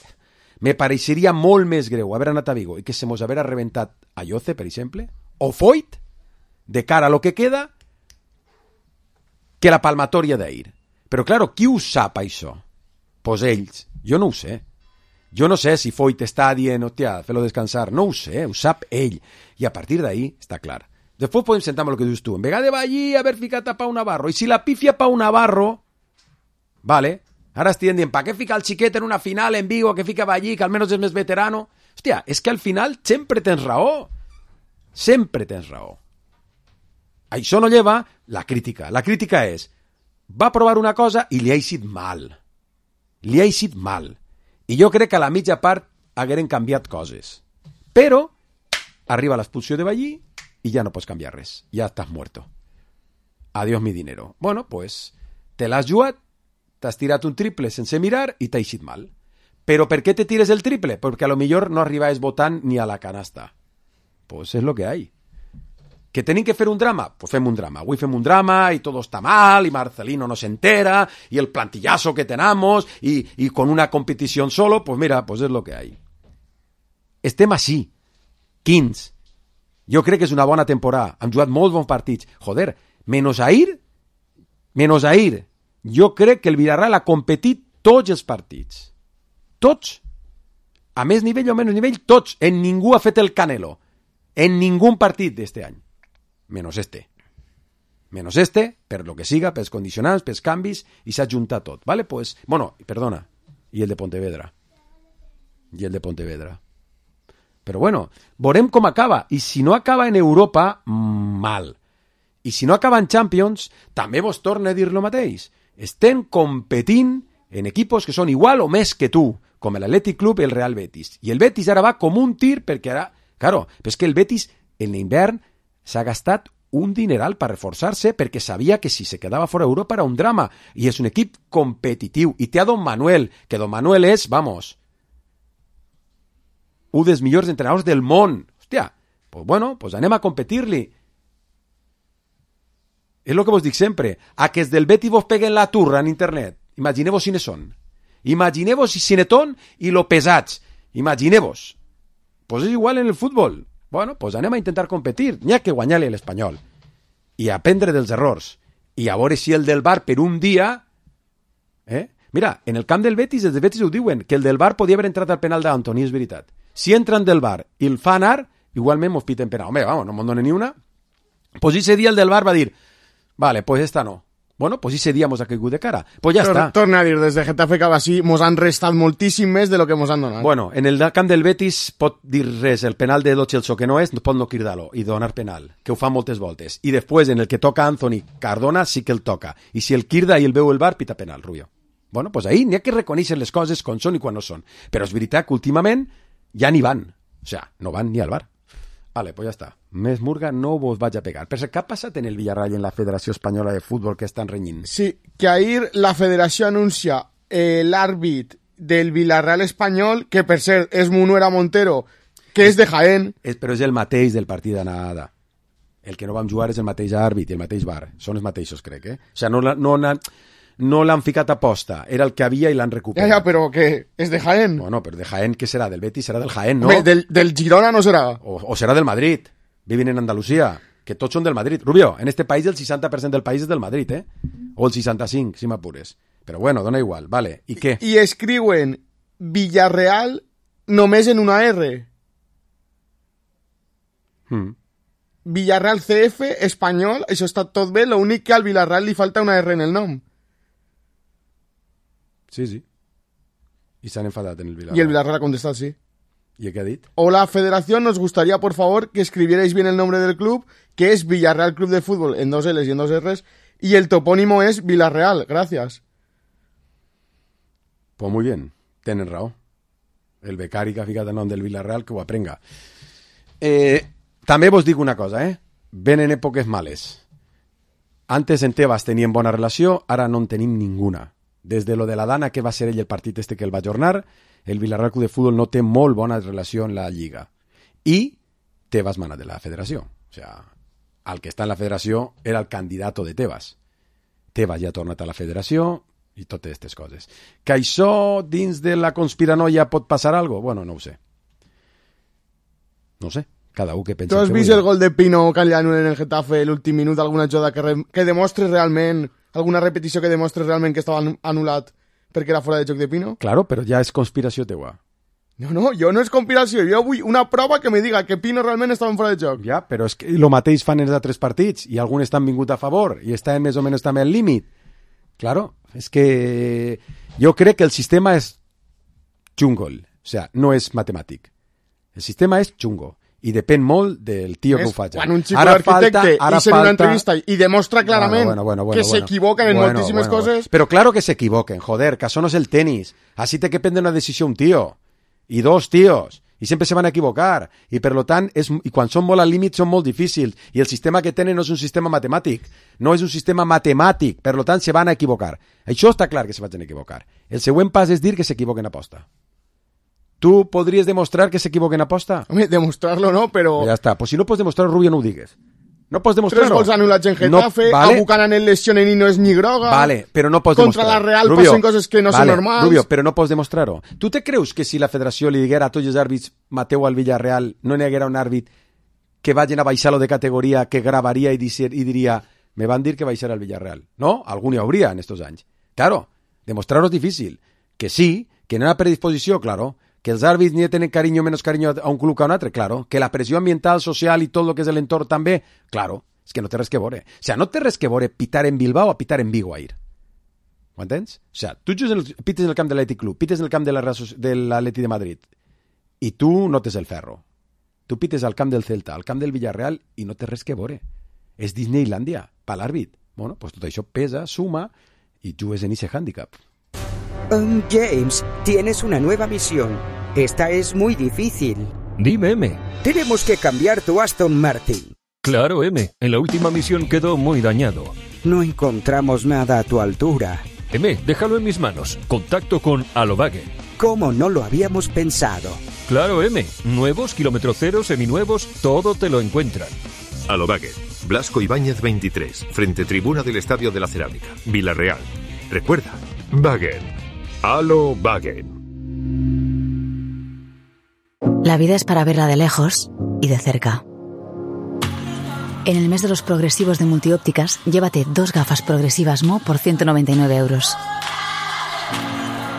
me pareixeria molt més greu haver anat a Vigo i que se mos haver reventat a Ayoce, per exemple, o Foyt, de cara a lo que queda, que la palmatòria d'ahir. Però, claro, qui ho sap, això? Pues ells. Jo no ho sé. Jo no sé si Foyt està dient, hòstia, fer-lo descansar. No ho sé, ho sap ell. I a partir d'ahir, està clar. Després podem sentar amb el que dius tu. En vegada de Ballí haver ficat a Pau Navarro. I si la pifia Pau Navarro, vale, ara estic dient, pa què fica el xiquet en una final en Vigo, que fica Ballí, que almenys és més veterano? Hòstia, és que al final sempre tens raó. Sempre tens raó. Això no lleva la crítica. La crítica és, va provar una cosa i li ha eixit mal. Li ha eixit mal. I jo crec que a la mitja part hagueren canviat coses. Però arriba l'expulsió de Ballí i ja no pots canviar res. Ja estàs muerto. Adiós mi dinero. Bueno, pues, te l'has jugat, t'has tirat un triple sense mirar i t'ha eixit mal. Però per què te tires el triple? Perquè a lo millor no arribaves votant ni a la canasta. Pues és lo que hay. ¿Que tenim que fer un drama? Pues fem un drama. Avui fem un drama y todo está mal y Marcelino no se entera y el plantillazo que tenemos y, y con una competición solo, pues mira, pues es lo que hay. Estem així. quinze. Jo crec que és una bona temporada. Han jugat molts bons partits. Joder, menos ahir, menos ahir, jo crec que el Villarreal ha competit tots els partits. Tots. A més nivell o menys nivell, tots. En ningú ha fet el Canelo. En ningún partit d'este any. Menos este. Menos este, per lo que siga, pels condicionants, pels canvis, i s'ha juntat tot. Vale? Pues, bueno, perdona. I el de Pontevedra. I el de Pontevedra. Però bueno, veurem com acaba. I si no acaba en Europa, mal. I si no acaba en Champions, també vos torna a dir lo mateix. Estem competint en equipos que són igual o més que tu, com l'Athletic Club i el Real Betis. I el Betis ara va com un tir, perquè ara, claro, però és que el Betis en l'hivern s'ha gastat un dineral per reforçar-se perquè sabia que si se quedava fora d'Europa era un drama, i és un equip competitiu, i té a Don Manuel, que Don Manuel és, vamos, un dels millors entrenadors del món. Hòstia, pues bueno, pues anem a competir-li. És el que vos dic sempre, a que els del Betis vos peguen la turra en internet, imagineu-vos quines són. Imagineu-vos si netón i lo pesats. Imagineu-vos. Pues és igual en el futbol. Bueno, pues anem a intentar competir. N'hi ha que guanyar-li a l'Espanyol. I aprendre dels errors. I a veure si el del Bar per un dia... Eh? Mira, en el camp del Betis, els del Betis ho diuen, que el del Bar podia haver entrat al penal d'Antoni, és veritat. Si entren del Bar i el fa anar, igualment mos piten penal. Home, vamos, no me'n donen ni una. Pues ese dia el del Bar va dir, vale, pues esta no. Bueno, pues ese dia mos ha caigut de cara. Pues ja està. Torna a dir, des de Getafe cap així mos han restat moltíssim més de lo que mos han donat. Bueno, en el camp del Betis pot dir res, el penal de Lo Celso que no és, pot no cridar-lo i donar penal, que ho fa moltes voltes. I després, en el que toca Anthony Cardona, sí que el toca. I si el crida i el veu el Bar, pita penal, Rubio. Bueno, pues ahí n'hi ha que reconèixer les coses com són i quan no són. Però és veritat que últimament ja ni van. O sea, no van ni al Bar. Vale, pues ja està. Més murga no vos vaig a pegar. Però què ha passat en el Villarreal i en la Federació Espanyola de Futbol que estan renyint? Sí, que ahir la federació anuncia eh, l'àrbit del Villarreal espanyol, que per cert és Munuera Montero, que és de Jaén. És, però és el mateix del partit d'anada. El que no vam jugar és el mateix àrbit i el mateix bar. Són els mateixos, crec, eh? O sigui, no, no, no, no l'han ficat a posta. Era el que havia i l'han recuperat. Ja, ja, però què? És de Jaén? Bueno, però de Jaén, què serà? Del Betis serà del Jaén, no? Bé, del, del Girona no serà. O, o serà del Madrid. Viven en Andalucía, que tots són del Madrid. Rubio, en este país el seixanta per cent del país és del Madrid, eh? O el seixanta-cinc, si m'apures. Però bueno, dona igual, vale. I què? I escriuen Villarreal només en una R. Hmm. Villarreal C F, espanyol, això està tot bé, l'únic que al Villarreal li falta una R en el nom. Sí, sí. I s'han enfadat en el Villarreal. Y el Villarreal ha contestat sí. ¿Y qué ha dit? Hola Federación, nos gustaría por favor que escribierais bien el nombre del club, que es Villarreal Club de Fútbol en dos L's y en dos R's, y el topónimo es Villarreal. Gracias. Pues muy bien, tenen raó. El becari que ha ficat el nom del Villarreal que ho aprenga. Eh, també vos dic una cosa, eh? Venen èpoques males. Antes en Tebas tenien bona relació, ara no en tenim ninguna. Des de lo de la Dana, que va ser ell el partit este que el va ajornar, el Villarreal Club de Fútbol no té molt bona relació en la Lliga. I Tebas mana de la federació. O sea, el que està en la federació era el candidat de Tebas. Tebas ja ha tornat a la federació i totes aquestes coses. Que això dins de la conspiranoia pot passar algo? Bueno, no ho sé. No ho sé. Cada un que pensa... Tu has que vist vull. el gol de Pino Caliano en el Getafe l'últim minut, alguna jugada que, re... que demostres realment, alguna repetició que demostres realment que estava anul·lat perquè era fora de joc de Pino? Claro, però ja és conspiració teua. No, no, jo no és conspiració, jo vull una prova que me diga que Pino realment estava fora de joc. Ja, però és que el mateix fan els altres partits i alguns estan vingut a favor i estan més o menys també al límit. Claro, és que jo crec que el sistema és xungol, o sea, no és matemàtic. El sistema és xungo i depèn molt del tio que ho faci. Quan un xico d'arquitecte i en una entrevista i demostra clarament bueno, bueno, bueno, bueno, que bueno, s'equivoquen en bueno, moltíssimes bueno, coses... Bueno. Però claro que s'equivoquen, joder, que això no és el tenis. Así té que prendre una decisió un tio i dos tios i sempre se van a equivocar i per lo tant, és, i quan són molt al límit són molt difícils i el sistema que tenen no és un sistema matemàtic, no és un sistema matemàtic, per lo tant se van a equivocar. Això està clar que se van a equivocar. El següent pas és dir que s'equivoquen a posta. Tu podries demostrar que s'equivoquen a posta? Home, demostrarlo no, però... Ja està, pues si no pots demostrar-ho, Rubio, no ho digues. No pots demostrar-ho. Tres gols anul·lats en Getafe, no, vale. A Buchanan en lesionen i no és ni groga. Vale, però no pots Contra demostrar. la Real Rubio, passen coses que no vale, són normals. Rubio, però no pots demostrar-ho. Tu te creus que si la federació li diguera a tots els àrbits Mateu al Villarreal no n'hi haguera un àrbit que vagin a baixar-lo de categoria, que gravaria i, dir, i diria me van dir que baixarà al Villarreal? No? Algun hi hauria en estos anys. Claro, demostrar-ho és difícil. Que sí, que no hi ha predisposició, claro. Que els àrbits ni tenen carinyo o menys carinyo a un club que a un altre, claro. Que la pressió ambiental, social i tot el que és l'entorn també, claro. És que no té res que veure. O sea, no té res que veure pitar en Bilbao o pitar en Vigo ahir. Ho entens? O sea, tu en el, pites en el camp de l'Atlètic Club, pites en el camp de l'Atlètic de Madrid i tu no tens el ferro. Tu pites al camp del Celta, al camp del Villarreal i no té res que veure. És Disneylandia, per l'àrbit. Bueno, pues tot això pesa, suma i jugues en ese handicap. Um, James, tienes una nueva misión. Esta es muy difícil. Dime, M. Tenemos que cambiar tu Aston Martin. Claro, M. En la última misión quedó muy dañado. No encontramos nada a tu altura. M, déjalo en mis manos. Contacto con Alobagen. ¿Cómo no lo habíamos pensado? Claro, M. Nuevos, kilómetro cero, seminuevos, todo te lo encuentran. Alobagen. Blasco Ibáñez veintitrés, frente tribuna del Estadio de la Cerámica, Villarreal. Recuerda, Wagen. Alobagen. La vida es para verla de lejos y de cerca. En el mes de los progresivos de Multiópticas, llévate dos gafas progresivas M O por ciento noventa y nueve euros.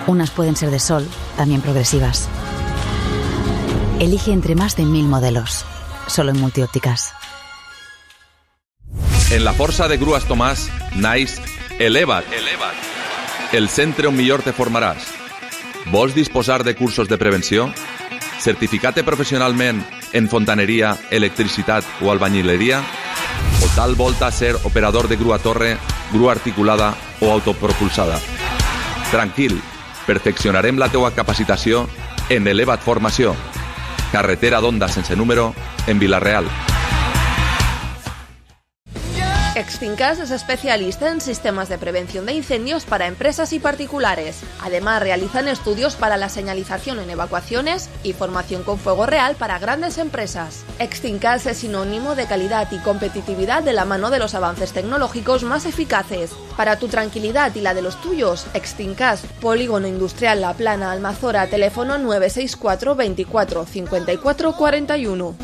Unas pueden ser de sol, también progresivas. Elige entre más de mil modelos. Solo en Multiópticas. En la Força de Grues Tomàs, naix Eleva't. Eleva't. El centre on millor te formaràs. Vols disposar de cursos de prevenció? Certificar-te professionalment en fontaneria, electricitat o albañileria? O tal volta ser operador de grua torre, grua articulada o autopropulsada? Tranquil, perfeccionarem la teua capacitació en Eleva't Formació. Carretera d'Onda sense número, en Vila-real. Extincas es especialista en sistemas de prevención de incendios para empresas y particulares. Además, realizan estudios para la señalización en evacuaciones y formación con fuego real para grandes empresas. Extincas es sinónimo de calidad y competitividad de la mano de los avances tecnológicos más eficaces. Para tu tranquilidad y la de los tuyos, Extincas, Polígono Industrial La Plana, Almazora, teléfono nueve seis cuatro veinticuatro cincuenta y cuatro cuarenta y uno.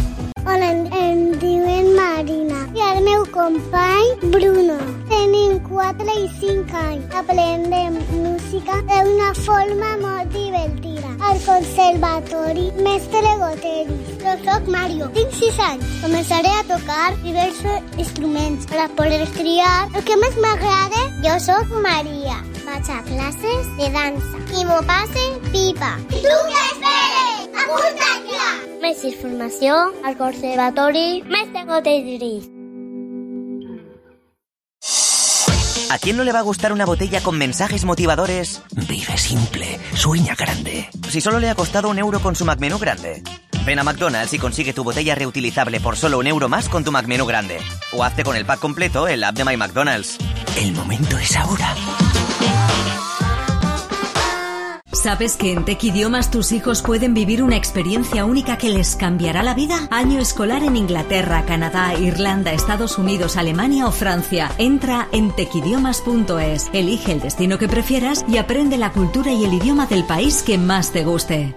Hola, em diuen Marina i el meu company Bruno. Tenim quatre i cinc anys. Aprendem música d'una forma molt divertida. Al conservatori Mestre Goteris. Jo soc Mario, tinc sis anys. Començaré a tocar diversos instruments per a poder triar el que més m'agrada. Jo soc Maria. Vaig a classes de dansa i m'ho passe pipa. Tu què esperes? Apunta't ja! Més informació al Conservatori Mestre Goteris. ¿A quién no le va a gustar una botella con mensajes motivadores? Vive simple, sueña grande. Si solo le ha costado un euro con su McMenú grande. Ven a McDonald's y consigue tu botella reutilizable por solo un euro más con tu McMenú grande. O hazte con el pack completo en la app de My McDonald's. El momento es ahora. ¿Sabes que en Tech Idiomas tus hijos pueden vivir una experiencia única que les cambiará la vida? Año escolar en Inglaterra, Canadá, Irlanda, Estados Unidos, Alemania o Francia. Entra en tech idiomas punto es, elige el destino que prefieras y aprende la cultura y el idioma del país que más te guste.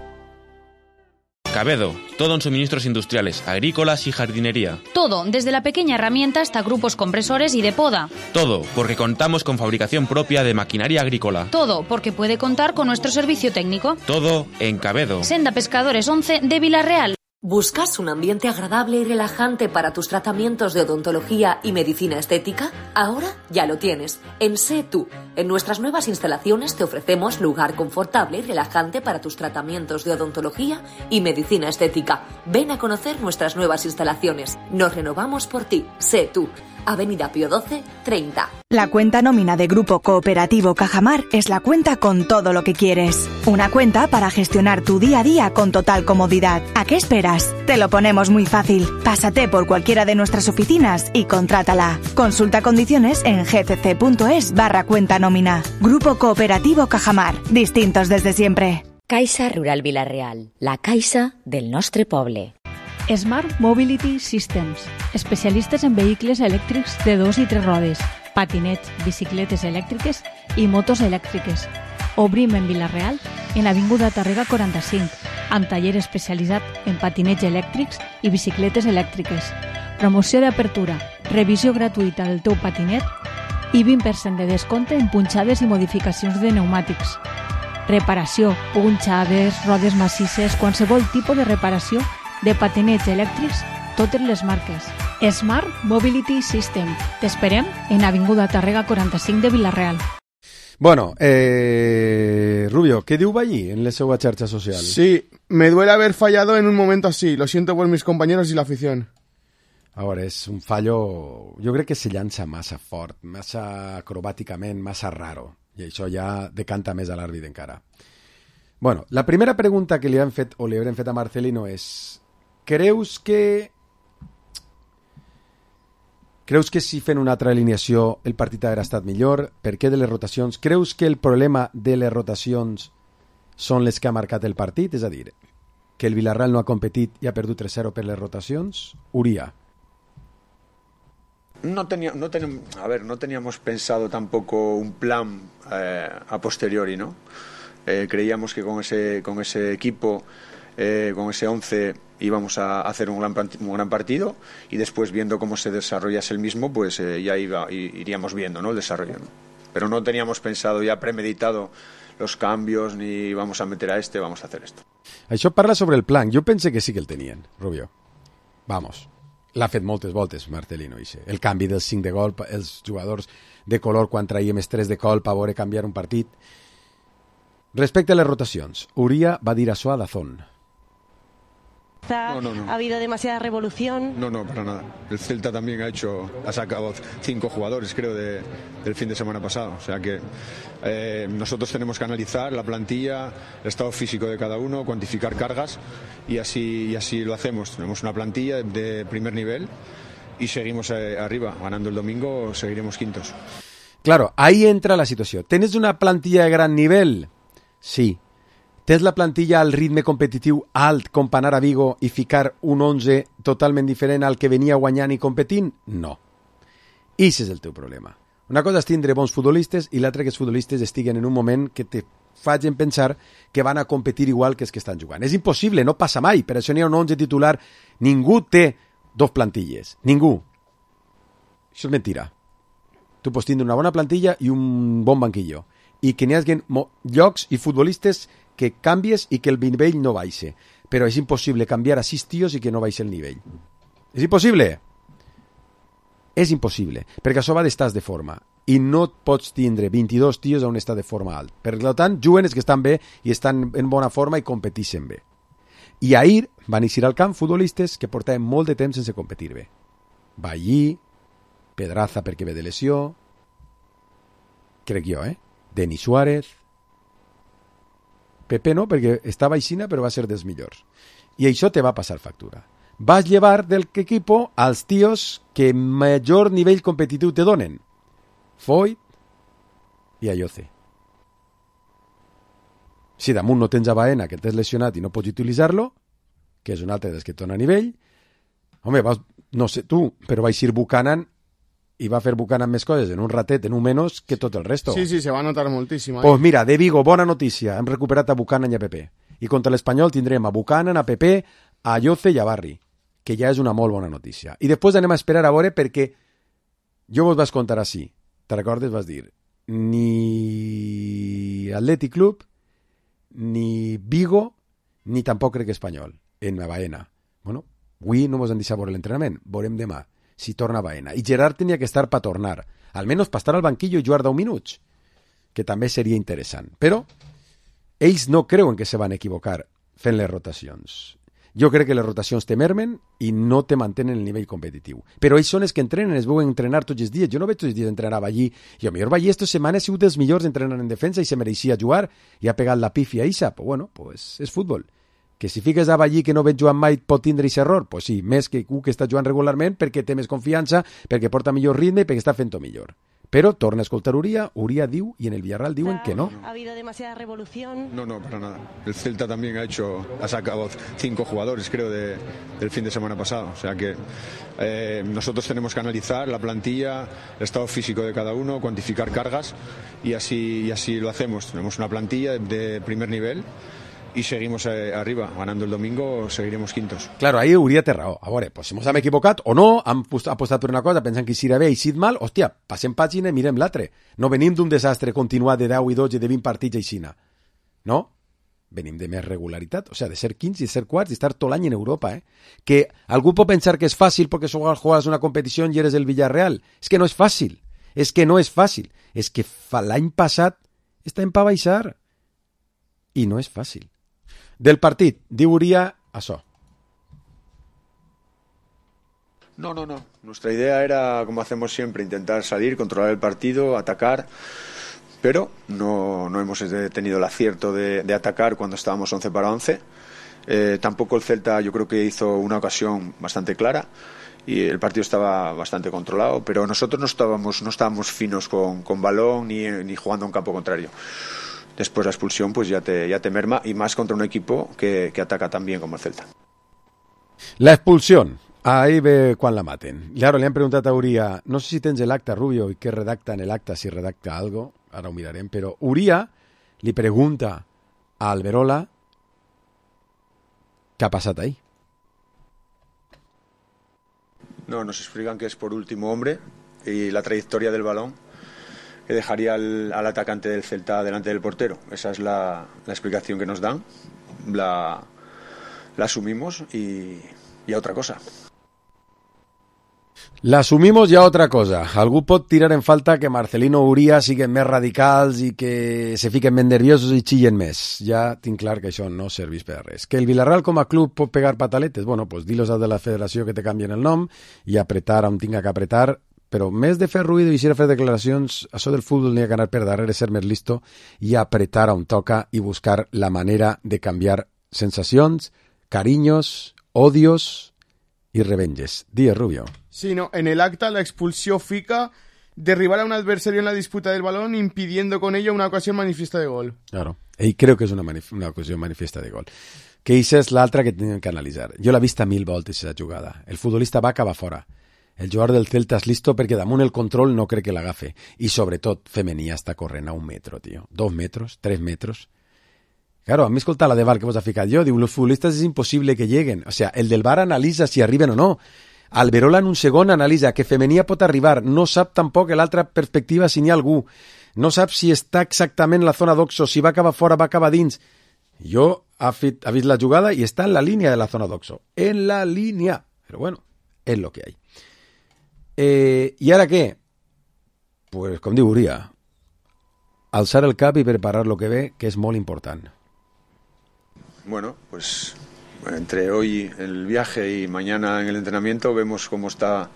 Cabedo, todo en suministros industriales, agrícolas y jardinería. Todo, desde la pequeña herramienta hasta grupos compresores y de poda. Todo, porque contamos con fabricación propia de maquinaria agrícola. Todo, porque puede contar con nuestro servicio técnico. Todo en Cabedo. Senda Pescadores once de Vila-real. ¿Buscas un ambiente agradable y relajante para tus tratamientos de odontología y medicina estética? Ahora ya lo tienes. En Sé Tú. En nuestras nuevas instalaciones te ofrecemos lugar confortable y relajante para tus tratamientos de odontología y medicina estética. Ven a conocer nuestras nuevas instalaciones. Nos renovamos por ti. Sé Tú. Avenida Pío doce, treinta. La cuenta nómina de Grupo Cooperativo Cajamar es la cuenta con todo lo que quieres. Una cuenta para gestionar tu día a día con total comodidad. ¿A qué esperas? Te lo ponemos muy fácil. Pásate por cualquiera de nuestras oficinas y contrátala. Consulta condiciones en gcc.es barra cuenta nómina. Grupo Cooperativo Cajamar. Distintos desde siempre. Caixa Rural Vila-real. La caixa del nostre poble. Smart Mobility Systems, especialistes en vehicles elèctrics de dos i tres rodes, patinets, bicicletes elèctriques i motos elèctriques. Obrim en Vila-real, en Avinguda Tàrrega quaranta-cinc, amb taller especialitzat en patinets elèctrics i bicicletes elèctriques. Promoció d'apertura, revisió gratuïta del teu patinet i vint per cent de descompte en punxades i modificacions de pneumàtics. Reparació, punxades, rodes massisses, qualsevol tipus de reparació de patinets elèctrics, totes les marques. Smart Mobility System. T'esperem en Avinguda Tàrrega quaranta-cinc de Vila-real. Bueno, eh, Rubio, ¿qué diu allí en la seva xarxa social? Sí, me duele haber fallado en un momento así. Lo siento por mis compañeros y la afición. Ahora, és un fallo... Jo crec que se llança massa fort, massa acrobàticament, massa raro. I això ja decanta més a l'àrbit encara. Bueno, la primera pregunta que li han fet o li haurem fet a Marcelino és: creus que Creus que si fent una altra alineació el partit haguera estat millor? Per què de les rotacions? Creus que el problema de les rotacions són les que ha marcat el partit? És a dir, que el Villarreal no ha competit i ha perdut tres cero per les rotacions? Uría. No, tenía, no, teníamos, a ver, no teníamos pensado tampoco un plan eh, a posteriori, ¿no? Eh, creíamos que con ese, con ese equipo, eh, con ese once, íbamos a hacer un gran, un gran partido y después, viendo cómo se desarrollase el mismo, pues eh, ya iba, iríamos viendo, ¿no?, el desarrollo, ¿no? Pero no teníamos pensado, ya premeditado los cambios, ni vamos a meter a este, vamos a hacer esto. Això parla sobre el plan. Jo pensé que sí que el tenien, Rubio. Vamos. L'ha fet moltes voltes, Marcelino, ixe. El canvi dels cinc de gol, els jugadors de color quan traiem els tres de col per veure canviar un partit. Respecte a les rotacions, Uría va dir això a Dazón. No, no, no. Ha habido demasiada revolución. No, no, para nada. El Celta también ha hecho, ha sacado cinco jugadores, creo, de, del fin de semana pasado. O sea que eh, nosotros tenemos que analizar la plantilla, el estado físico de cada uno, cuantificar cargas y así, y así lo hacemos. Tenemos una plantilla de primer nivel y seguimos eh, arriba. Ganando el domingo seguiremos quintos. Claro, ahí entra la situació. ¿Tens una plantilla de gran nivell? Sí. Tens la plantilla al ritme competitiu alt com per anar a Vigo i ficar un onze totalment diferent al que venia guanyant i competint? No. Ix és el teu problema. Una cosa és tindre bons futbolistes i l'altra que els futbolistes estiguen en un moment que te facin pensar que van a competir igual que els que estan jugant. És impossible, no passa mai. Per això n'hi ha un onze titular. Ningú té dos plantilles. Ningú. Això és mentira. Tu pots tindre una bona plantilla i un bon banquillo. I que n'hi hagi llocs i futbolistes que canvies i que el nivell no baixe. Però és impossible canviar a sis tios i que no baixe el nivell. És impossible. És impossible, perquè això va d'estats de forma. I no pots tindre vint-i-dos tios a un estat de forma alt. Per tant, juguen els que estan bé i estan en bona forma i competeixen bé. I ahir van eixir al camp futbolistes que portaven molt de temps sense competir bé. Ballí, Pedraza perquè ve de lesió, crec jo, eh? Denis Suárez, Pepe no, perquè estava aixina però va ser dels millors. I això te va passar factura. Vas llevar del equipo als tios que major nivell competitiu te donen. Foyt i Ayoce. Si damunt no tens a Baena, que t'has lesionat i no pots utilitzar-lo, que és un altre dels que et dona nivell, home, vas, no sé tu, però va eixir Buchanan i va fer Buchanan més coses en un ratet, en un menys, que tot el resto. Sí, sí, se va notar moltíssim. Pues mira, de Vigo, bona notícia, hem recuperat a Buchanan i a Pepe. I contra l'Espanyol tindrem a Buchanan, a Pepe, a Ayoce i a Barri, que ja és una molt bona notícia. I després anem a esperar a veure perquè jo vos vas contar així, te recordes? Vas dir, ni Athletic Club, ni Vigo, ni tampoc crec Espanyol, en la Baena. Bueno, avui no mos han deixat veure l'entrenament, veurem demà si torna a Baena. I Gerard tenia que estar per tornar, almenys per estar al banquillo i jugar deu minuts, que també seria interessant. Però ells no creuen que se van equivocar fent les rotacions. Jo crec que les rotacions te mermen i no te mantenen el nivell competitiu. Però ells són els que entrenen, es veuen entrenar tots els dies. Jo no veig tots els dies entrenar a Ballí. I potser Ballí esta setmana ha sigut dels millors entrenant en defensa i se mereixia jugar i ha pegat la pifia a Isa. Pues bueno, pues és futbol. Que si fiques a Ballí que no veig jugant mai pot tindre aquest error? Pues sí, més que un que està jugant regularment perquè té més confiança, perquè porta millor ritme i perquè està fent-ho millor. Pero torna a escoltar Uría, Uría diu, y en el Villarreal diuen que no. Ha habido demasiada revolución. No, no, para nada. El Celta también ha hecho, ha sacado cinco jugadores, creo, de, del fin de semana pasado. O sea que eh, nosotros tenemos que analizar la plantilla, el estado físico de cada uno, cuantificar cargas y así, y así lo hacemos. Tenemos una plantilla de primer nivel y seguimos eh, arriba. Ganando el domingo seguiremos quintos. Claro, ahí Uría té raó. A veure, pues si ens hem equivocat o no, hem apostat per una cosa pensant que eixirà bé i eixit mal, hòstia, passem pàgina i mirem l'altre. No venim d'un desastre continuat de deu i dotze, de vint partits aixina. No? Venim de més regularitat. O sigui, de ser quinze i ser quarts i estar tot l'any en Europa, eh? Que algú pot pensar que és fàcil perquè juegas una competició i eres el Villarreal. És que no és fàcil. És que no és fàcil. És que l'any passat estem per baixar. I no és fàcil. Del partit, diu Uría això. No, no, no. Nuestra idea era, como hacemos siempre, intentar salir, controlar el partido, atacar, pero no, no hemos tenido el acierto de, de atacar cuando estábamos once para once. Eh, tampoco el Celta, yo creo que hizo una ocasión bastante clara y el partido estaba bastante controlado, pero nosotros no estábamos no estábamos finos con, con balón ni, ni jugando a un campo contrario. Después la expulsión pues ya te, ya te merma, y más contra un equipo que, que ataca tan bien como el Celta. La expulsión, ahí ve quan la maten. Claro, le han preguntat a Uria, no sé si tens l'acta, Rubio, i què redacta en l'acta, si redacta algo, ara ho mirarem, però Uria li pregunta a Alberola què ha passat ahí. No, nos explican que es por último hombre y la trayectoria del balón que dejaría al, al atacante del Celta delante del portero. Esa es la, la explicación que nos dan, la, la asumimos y, y a otra cosa. L'assumimos ja otra cosa. Algú pot tirar en falta que Marcelino o Uria siguen més radicals i que se fiquen més nerviosos i xillen més. Ja tinc clar que això no serveix per res. Que el Villarreal com a club pot pegar pataletes? Bueno, pues dilos als de la federació que te canvien el nom i apretar on tinga que apretar, però més de fer ruïdo i eixir a fer declaracions, això del futbol n'hi ha que anar per darrere, ser més listo i apretar on toca i buscar la manera de canviar sensacions, cariños, odios y revenges. Díaz Rubio. Sí, no, en el acta la expulsión fica derribar a un adversario en la disputa del balón impidiendo con ello una ocasión manifiesta de gol. Claro, y creo que es una, manif una ocasión manifiesta de gol. Que esa és l'altra que tenen que analitzar. Jo l'he vista mil voltes, aquesta jugada. El futbolista va acabar fora. El jugador del Celta és listo perquè damunt el control no crec que l'agafe. I sobretot, femení està corrent a un metro, tio. Dos metros, tres metros. Claro, a mi escolta la de V A R que vos ha ficat jo, diu, los futbolistas es imposible que lleguen. O sea, el del V A R analitza si arriben o no. Alberola en un segon analitza que femenia pot arribar, no sap tampoc l'altra perspectiva si n'hi ha algú, no sap si està exactament en la zona d'Oxo, si va acabar fora, va acabar dins. Jo ha, fit, ha vist la jugada i està en la línia de la zona d'Oxo, en la línia, però bueno, és lo que hay. Eh, I ara què? Pues com diu Uria, alçar el cap i preparar lo que ve, que és molt important. Bueno, pues entre hoy el viaje y mañana en el entrenamiento vemos cómo está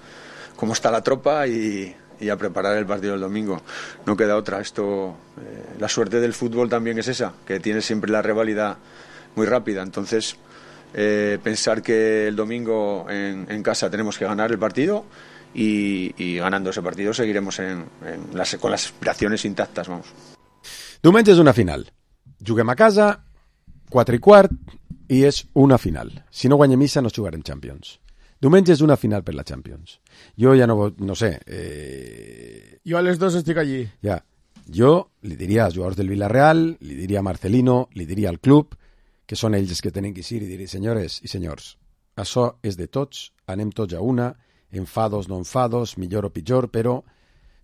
cómo está la tropa y, y a preparar el partido del domingo. No queda otra. Esto, eh, la suerte del fútbol también es esa, que tiene siempre la rivalidad muy rápida. Entonces, eh, pensar que el domingo en, en casa tenemos que ganar el partido y, y ganando ese partido seguiremos en, en las, con las aspiraciones intactas, vamos. Diumenge és una final. Juguem a casa, quatre i quart, i és una final. Si no guanyem missa no jugarem Champions. Diumenge és una final per la Champions. Jo ja no, no sé... Eh... Jo a les dos estic allí. Ja. Jo li diria als jugadors del Villarreal, li diria a Marcelino, li diria al club, que són ells els que tenen que ir, i diria, senyores i senyors, això és de tots, anem tots a una, enfados, no enfados, millor o pitjor, però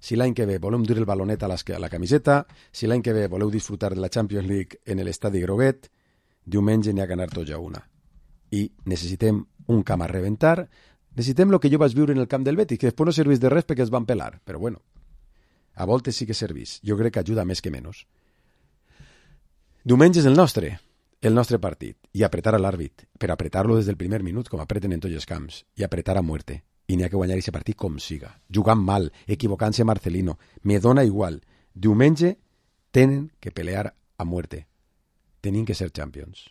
si l'any que ve voleu dur el balonet a, les, a la camiseta, si l'any que ve voleu disfrutar de la Champions League en l'estadi groguet, diumenge n'hi ha que anar tots a una. I necessitem un camp a reventar, necessitem el que jo vaig viure en el camp del Betis, que després no servís de res perquè es van pelar, però bueno, a voltes sí que servís. Jo crec que ajuda més que menys. Diumenge és el nostre, el nostre partit, i apretar a l'àrbit, per apretar-lo des del primer minut, com apreten en tots els camps, i apretar a muerte. I n'hi ha que guanyar aquest partit com siga, jugant mal, equivocant-se Marcelino, me dona igual. Diumenge tenen que pelear a muerte. Tenim que ser Champions.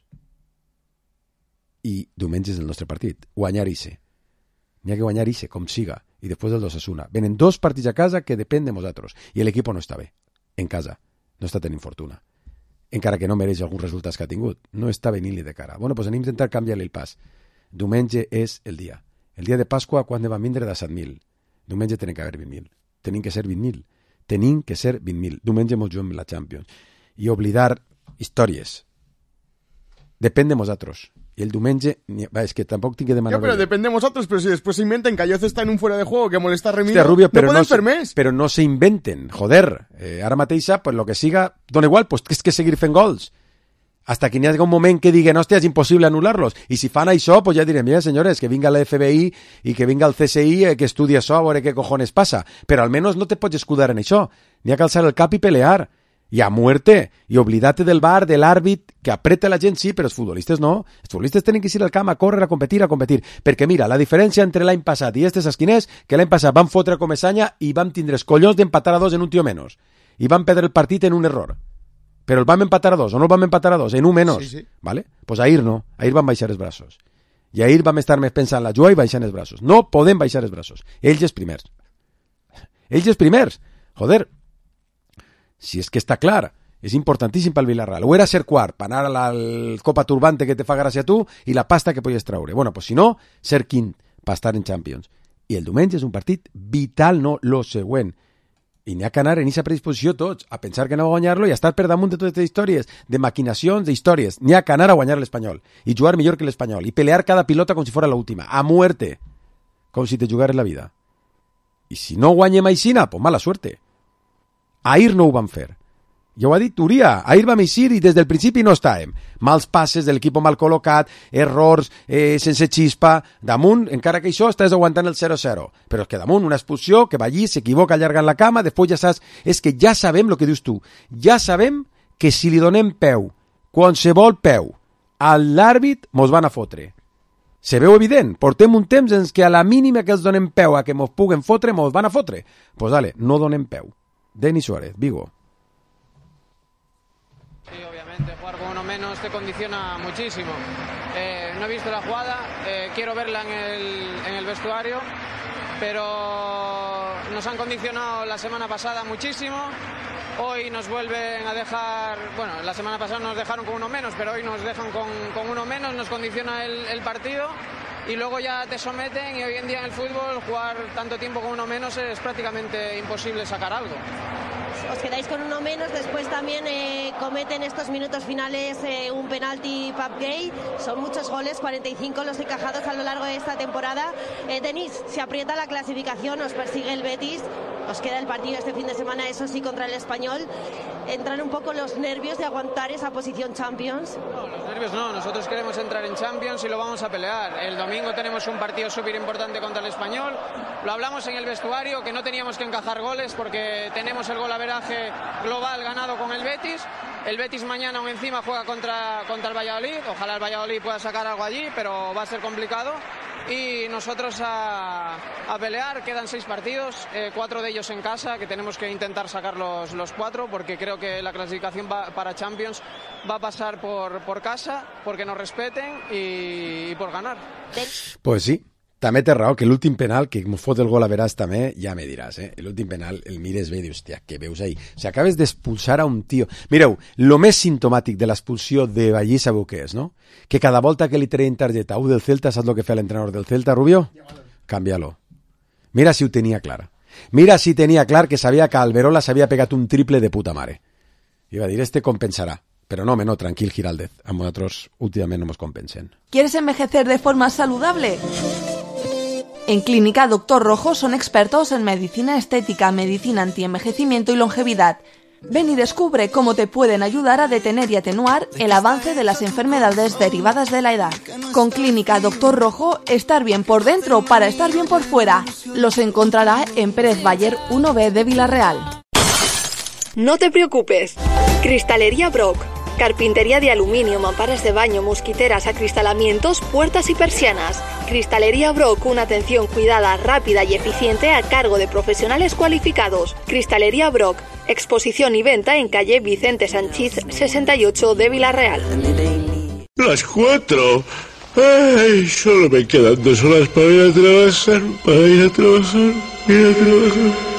I diumenge és el nostre partit. Guanyar ixe. N'hi ha que guanyar ixe, com siga. I després del d'Osasuna. Venen dos partits a casa que depèn de nosaltres. I l'equip no està bé. En casa. No està tenint fortuna. Encara que no mereix alguns resultats que ha tingut. No està venint-li de cara. Bueno, doncs anem a intentar canviar-li el pas. Diumenge és el dia. El dia de Pasqua, quan ne van vindre de set mil. Diumenge tenen que haver vint mil. Tenim que ser vint mil. Tenim que ser vint mil. Diumenge mos juguem la Champions. I oblidar històries. Depèn de nosaltres. Y el diumenge, va, es que tampoco tiene que demanar. Ya, pero depende de vosotros, pero si después se inventen que Ayoz está en un fuera de juego que molesta a Remiro, Hostia, Rubio, pero no pueden no fer més. Pero no se inventen, joder. Eh, ara mateixa, pues lo que siga, dona igual, pues que és que seguir fent gols. Hasta que n'hi hagi un moment que diguen, hòstia, és impossible anul·lar-los. I si fan això, pues ja direm, mira, senyores, que vinga la F B I i que vinga el C S I, eh, que estudi això, a veure què cojones passa. Però almenys no te pots escudar en això. N'hi ha que alçar el cap i pelear. I a muerte, i oblidate del V A R, de l'àrbit, que apreta la gent, sí, però els futbolistes no. Els futbolistes tenen que ir al camp a córrer, a competir, a competir. Perquè mira, la diferència entre l'any passat i este saps quin és? Que l'any passat vam fotre com esanya i vam tindre els collons d'empatar a dos en un tio menys. I vam perdre el partit en un error. Però el vam empatar a dos, o no el vam empatar a dos, en un menys. Sí, sí. ¿Vale? Pues ahir no, ahir van baixar els braços. I ahir vam estar més pensant la joia i baixant els braços. No podem baixar els braços. Ells els primers. Ells els primers. Joder, si és que està clar, és importantíssim pel Villarreal. Ho era ser quart, per anar a la Copa Turbante que te fa gràcia a tu i la pasta que podies traure. Bueno, pues si no, ser quint per estar en Champions. I el diumenge és un partit vital, no lo següent. I n'hi ha que anar en aquesta predisposició tots, a pensar que no va guanyar-lo i a estar per damunt de totes les històries, de maquinacions, d'històries. N'hi ha que anar a guanyar l'Espanyol i jugar millor que l'Espanyol i pelear cada pilota com si fos l'última, a muerte, com si te jugares la vida. I si no guanyem aixina, pues mala suerte. Ahir no ho van fer. Ja ho ha dit Uria, ahir vam eixir i des del principi no estàvem. Mals passes de l'equip mal col·locat, errors, eh, sense xispa. Damunt, encara que això, estàs aguantant el zero zero. Però és que damunt, una expulsió, que va allí, s'equivoca allargant la cama, després ja saps... És que ja sabem el que dius tu. Ja sabem que si li donem peu, qualsevol peu, a l'àrbit, mos van a fotre. Se veu evident. Portem un temps en què a la mínima que els donem peu a que mos puguen fotre, mos van a fotre. Pues dale, no donem peu. Denis Suárez, Vigo. Sí, obviamente, jugar con uno menos te condiciona muchísimo. Eh, no he visto la jugada, eh, quiero verla en el, en el vestuario, pero nos han condicionado la semana pasada muchísimo. Hoy nos vuelven a dejar, bueno, la semana pasada nos dejaron con uno menos, pero hoy nos dejan con, con uno menos, nos condiciona el, el partido y luego ya te someten, y hoy en día en el fútbol jugar tanto tiempo con uno menos es prácticamente imposible sacar algo. Os quedáis con uno menos, después también eh, cometen estos minutos finales eh, un penalti Pape Gueye. Son muchos goles, cuarenta y cinco los encajados a lo largo de esta temporada. Eh, Denis, se aprieta la clasificación, os persigue el Betis, os queda el partido este fin de semana, eso sí, contra el Español. ¿Entran un poco los nervios de aguantar esa posición Champions? No, los nervios no, nosotros queremos entrar en Champions y lo vamos a pelear. El domingo tenemos un partido súper importante contra el Español. Lo hablamos en el vestuario, que no teníamos que encajar goles porque tenemos el golaveraje global ganado con el Betis. El Betis mañana aún encima juega contra, contra el Valladolid. Ojalá el Valladolid pueda sacar algo allí, pero va a ser complicado. Y nosotros a, a pelear, quedan seis partidos, eh, cuatro de ellos en casa, que tenemos que intentar sacar los, los cuatro, porque creo que la clasificación va, para Champions va a pasar por, por casa, porque nos respeten y, y por ganar. Pues sí. També té raó que l'últim penal, que m'ho fot el gol a veràs també, ja me diràs, eh? L'últim penal el mires bé i dius, hòstia, què veus ahí? O sigui, acabes d'expulsar a un tio. Mireu, lo més sintomàtic de l'expulsió de Ballí sabeu què és, no? Que cada volta que li treien targeta a un del Celta, saps el que fa l'entrenador del Celta, Rubio? Cámbialo. Mira si ho tenia clar. Mira si tenia clar que sabia que Alberola s'havia pegat un triple de puta mare. Iba a dir, este compensarà. Pero no, no, tranquil, Giraldez. A nosotros últimamente no nos compensen. ¿Quieres envejecer de forma saludable? En Clínica Doctor Rojo son expertos en medicina estética, medicina antienvejecimiento y longevidad. Ven y descubre cómo te pueden ayudar a detener y atenuar el avance de las enfermedades derivadas de la edad. Con Clínica Doctor Rojo, estar bien por dentro para estar bien por fuera. Los encontrará en Pérez Bayer uno B de Villarreal. No te preocupes. Cristalería Brock. Carpintería de aluminio, mamparas de baño, mosquiteras, acristalamientos, puertas y persianas. Cristalería Brock, una atención cuidada, rápida y eficiente a cargo de profesionales cualificados. Cristalería Brock, exposición y venta en calle Vicente Sanchís sesenta y ocho de Villarreal. Las cuatro. Ay, solo me quedan dos horas para ir a trabajar, para ir a trabajar, ir a trabajar.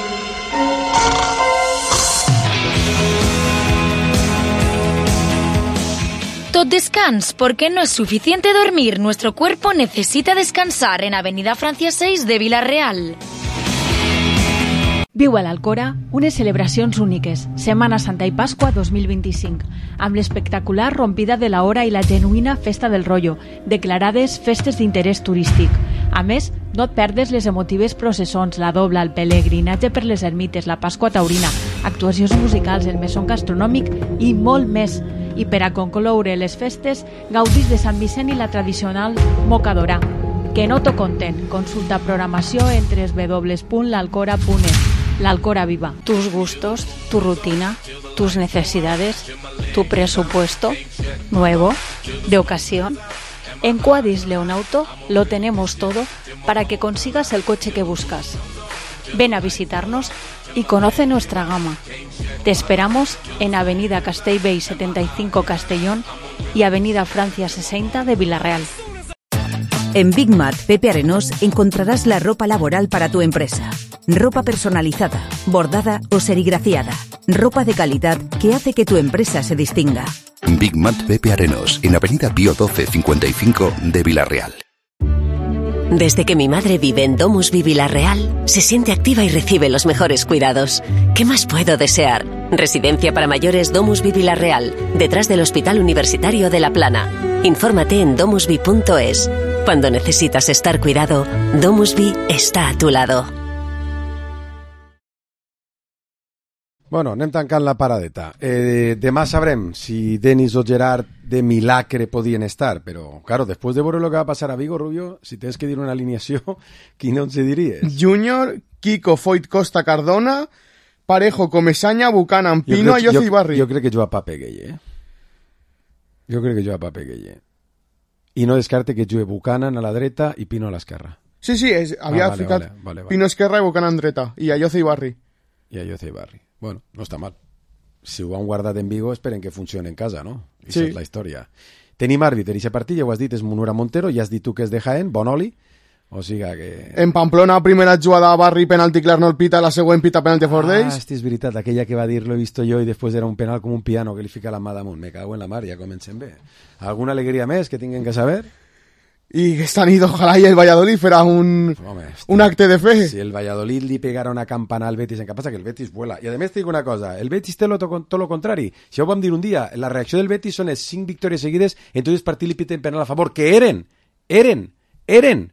Tot descans, porque no es suficiente dormir. Nuestro cuerpo necesita descansar en Avenida Francia seis de Villarreal. Viu a l'Alcora unes celebracions úniques, Setmana Santa i Pasqua dos mil vint-i-cinc, amb l'espectacular rompida de la hora i la genuïna Festa del Rollo, declarades festes d'interès turístic. A més, no et perdes les emotives processons, la dobla, el pelegrinatge per les ermites, la Pasqua taurina, actuacions musicals, el mesón gastronòmic i molt més. I per a concloure les festes, gaudis de Sant Vicent i la tradicional mocadora. Que no t'ho conten. Consulta programació en doble u doble u doble u punt l'alcora punt es. L'Alcora Viva. Tus gustos, tu rutina, tus necesidades, tu presupuesto, nuevo, de ocasión. En Quadis Leonauto lo tenemos todo para que consigas el coche que buscas. Ven a visitarnos y conoce nuestra gama. Te esperamos en Avenida Castellbell setenta y cinco Castellón y Avenida Francia sesenta de Villarreal. En Big Mat Pepe Arenós encontrarás la ropa laboral para tu empresa. Ropa personalizada, bordada o serigrafiada. Ropa de calidad que hace que tu empresa se distinga. Big Mat Pepe Arenós, en Avenida Pío doce cincuenta y cinco de Villarreal. Desde que mi madre vive en Domusvi Villarreal, se siente activa y recibe los mejores cuidados. ¿Qué más puedo desear? Residencia para mayores Domusvi Villarreal, detrás del Hospital Universitario de La Plana. Infórmate en domusvi punto es. Cuando necesitas estar cuidado, Domusvi está a tu lado. Bueno, anem tancant la paradeta. Eh, demà sabrem si Denis o Gerard de Milagre podien estar, però, claro, después de veure lo que va a pasar a Vigo, Rubio, si tens que dir una alineació, quina ens diries? Júnior, Kiko, Foyt, Costa, Cardona, Parejo, Comesaña, Buchanan, Pino, Ayoce i Barri. Jo crec que juga Pape Gueye, eh? Jo crec que juga Pape Gueye. I no descarte que jugue Buchanan a la dreta i Pino a l'esquerra. Sí, sí, és, havia ah, vale, ficat vale, vale, vale. Pino esquerra i Buchanan dreta, i Ayoce i Barri. I Ayoce i Barri. Bueno, no està mal. Si ho han guardat en Vigo, esperen que funcioni en casa, no? I sí. És la història. Tenim àrbitre, i aquest partit, ja ho has dit, és Munura Montero, ja has dit tu que és de Jaén, bon oli, o sigui que... En Pamplona, primera jugada a Barri, penalti clar no el pita, la següent pita penalti for Days. Ah, hosti, és veritat, aquella que va dir, lo he visto jo, i després era un penal com un piano que li fica la mà damunt. Me cago en la mar, ja comencem bé. Alguna alegria més que tinguem que saber? Y esta nit, ojalá y el Valladolid fuera un, Home, un acte de fe. Si el Valladolid li pegara una campana al Betis, en què passa que el Betis vuela. I a més te dic una cosa, el Betis té lo, tot lo contrari. Si ho vam dir un dia, la reacció del Betis són les cinc victòries seguides, entonces partit li piten penal a favor, que eren, eren, eren,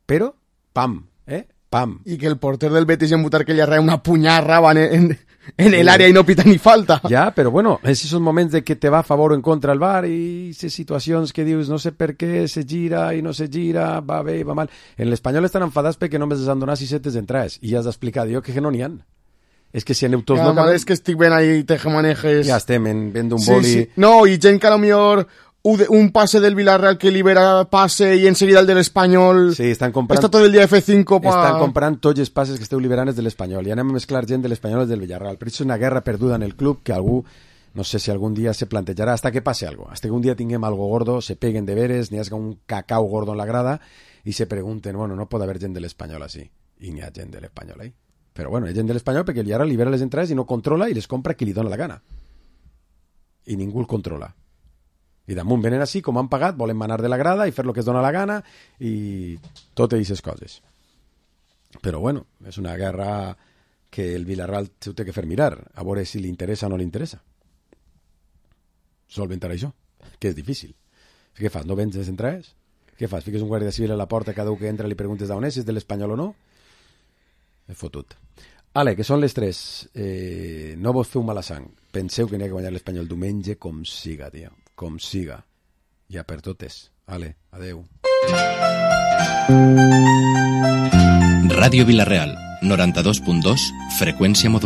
però, pam, eh, pam. Y que el porter del Betis en Butar que le arrea una puñarra en, en, en el área y no pita ni falta. Ja, però bueno, és esos moments de que te va a favor o en contra el V A R i aquestes situacions que dius no sé per què se gira i no se gira, va bé i va mal. En l'Espanyol estan enfadats perquè només els han donat sis setes d'entrades i ja has d'explicar, jo que no n'hi ha. És que si aneu tots... Ja, no, és que estic ben ahí, tejemanejes... Ja estem en, ben d'un boli... Sí, sí. No, i gent que a lo millor... un pase del Villarreal que libera pase y enseguida el del Espanyol. Sí, están comprant... Està tot el dia F cinco pa... Estan comprant tots els passes que esteu liberant del Espanyol i anem a mesclar gent de l'Espanyol i del Villarreal. Però això és una guerra perduda en el club que algú, no sé si algun dia se plantejarà hasta que passe algo. Hasta que un dia tinguem algo gordo, se peguen de veres, n'hi hagi un cacau gordo en la grada i se pregunten, bueno, no pot haver gent de l'Espanyol així. I n'hi ha gent de l'Espanyol, eh? Però bueno, hi ha gent de l'Espanyol perquè el Villarreal libera les entrades i no controla i les compra qui li dona la gana. I ningú el controla. I damunt venen així, com han pagat, volen manar de la grada i fer el que es dona la gana i totes aquestes coses. Però bueno, és una guerra que el Villarreal s'ho té que fer mirar, a veure si li interessa o no li interessa. Solventar això, que és difícil. Què fas, no vens les entrades? Què fas, fiques un guàrdia civil a la porta, cada un que entra li preguntes d'on és, si és de l'Espanyol o no? És fotut. Ale, que són les tres. Eh, no vos feu mala sang. Penseu que n'hi ha que guanyar l'Espanyol diumenge com siga, tio. Com siga. Ja per totes. Ale, adeu. Ràdio Vilareal, noranta-dos punt dos, freqüència modulada.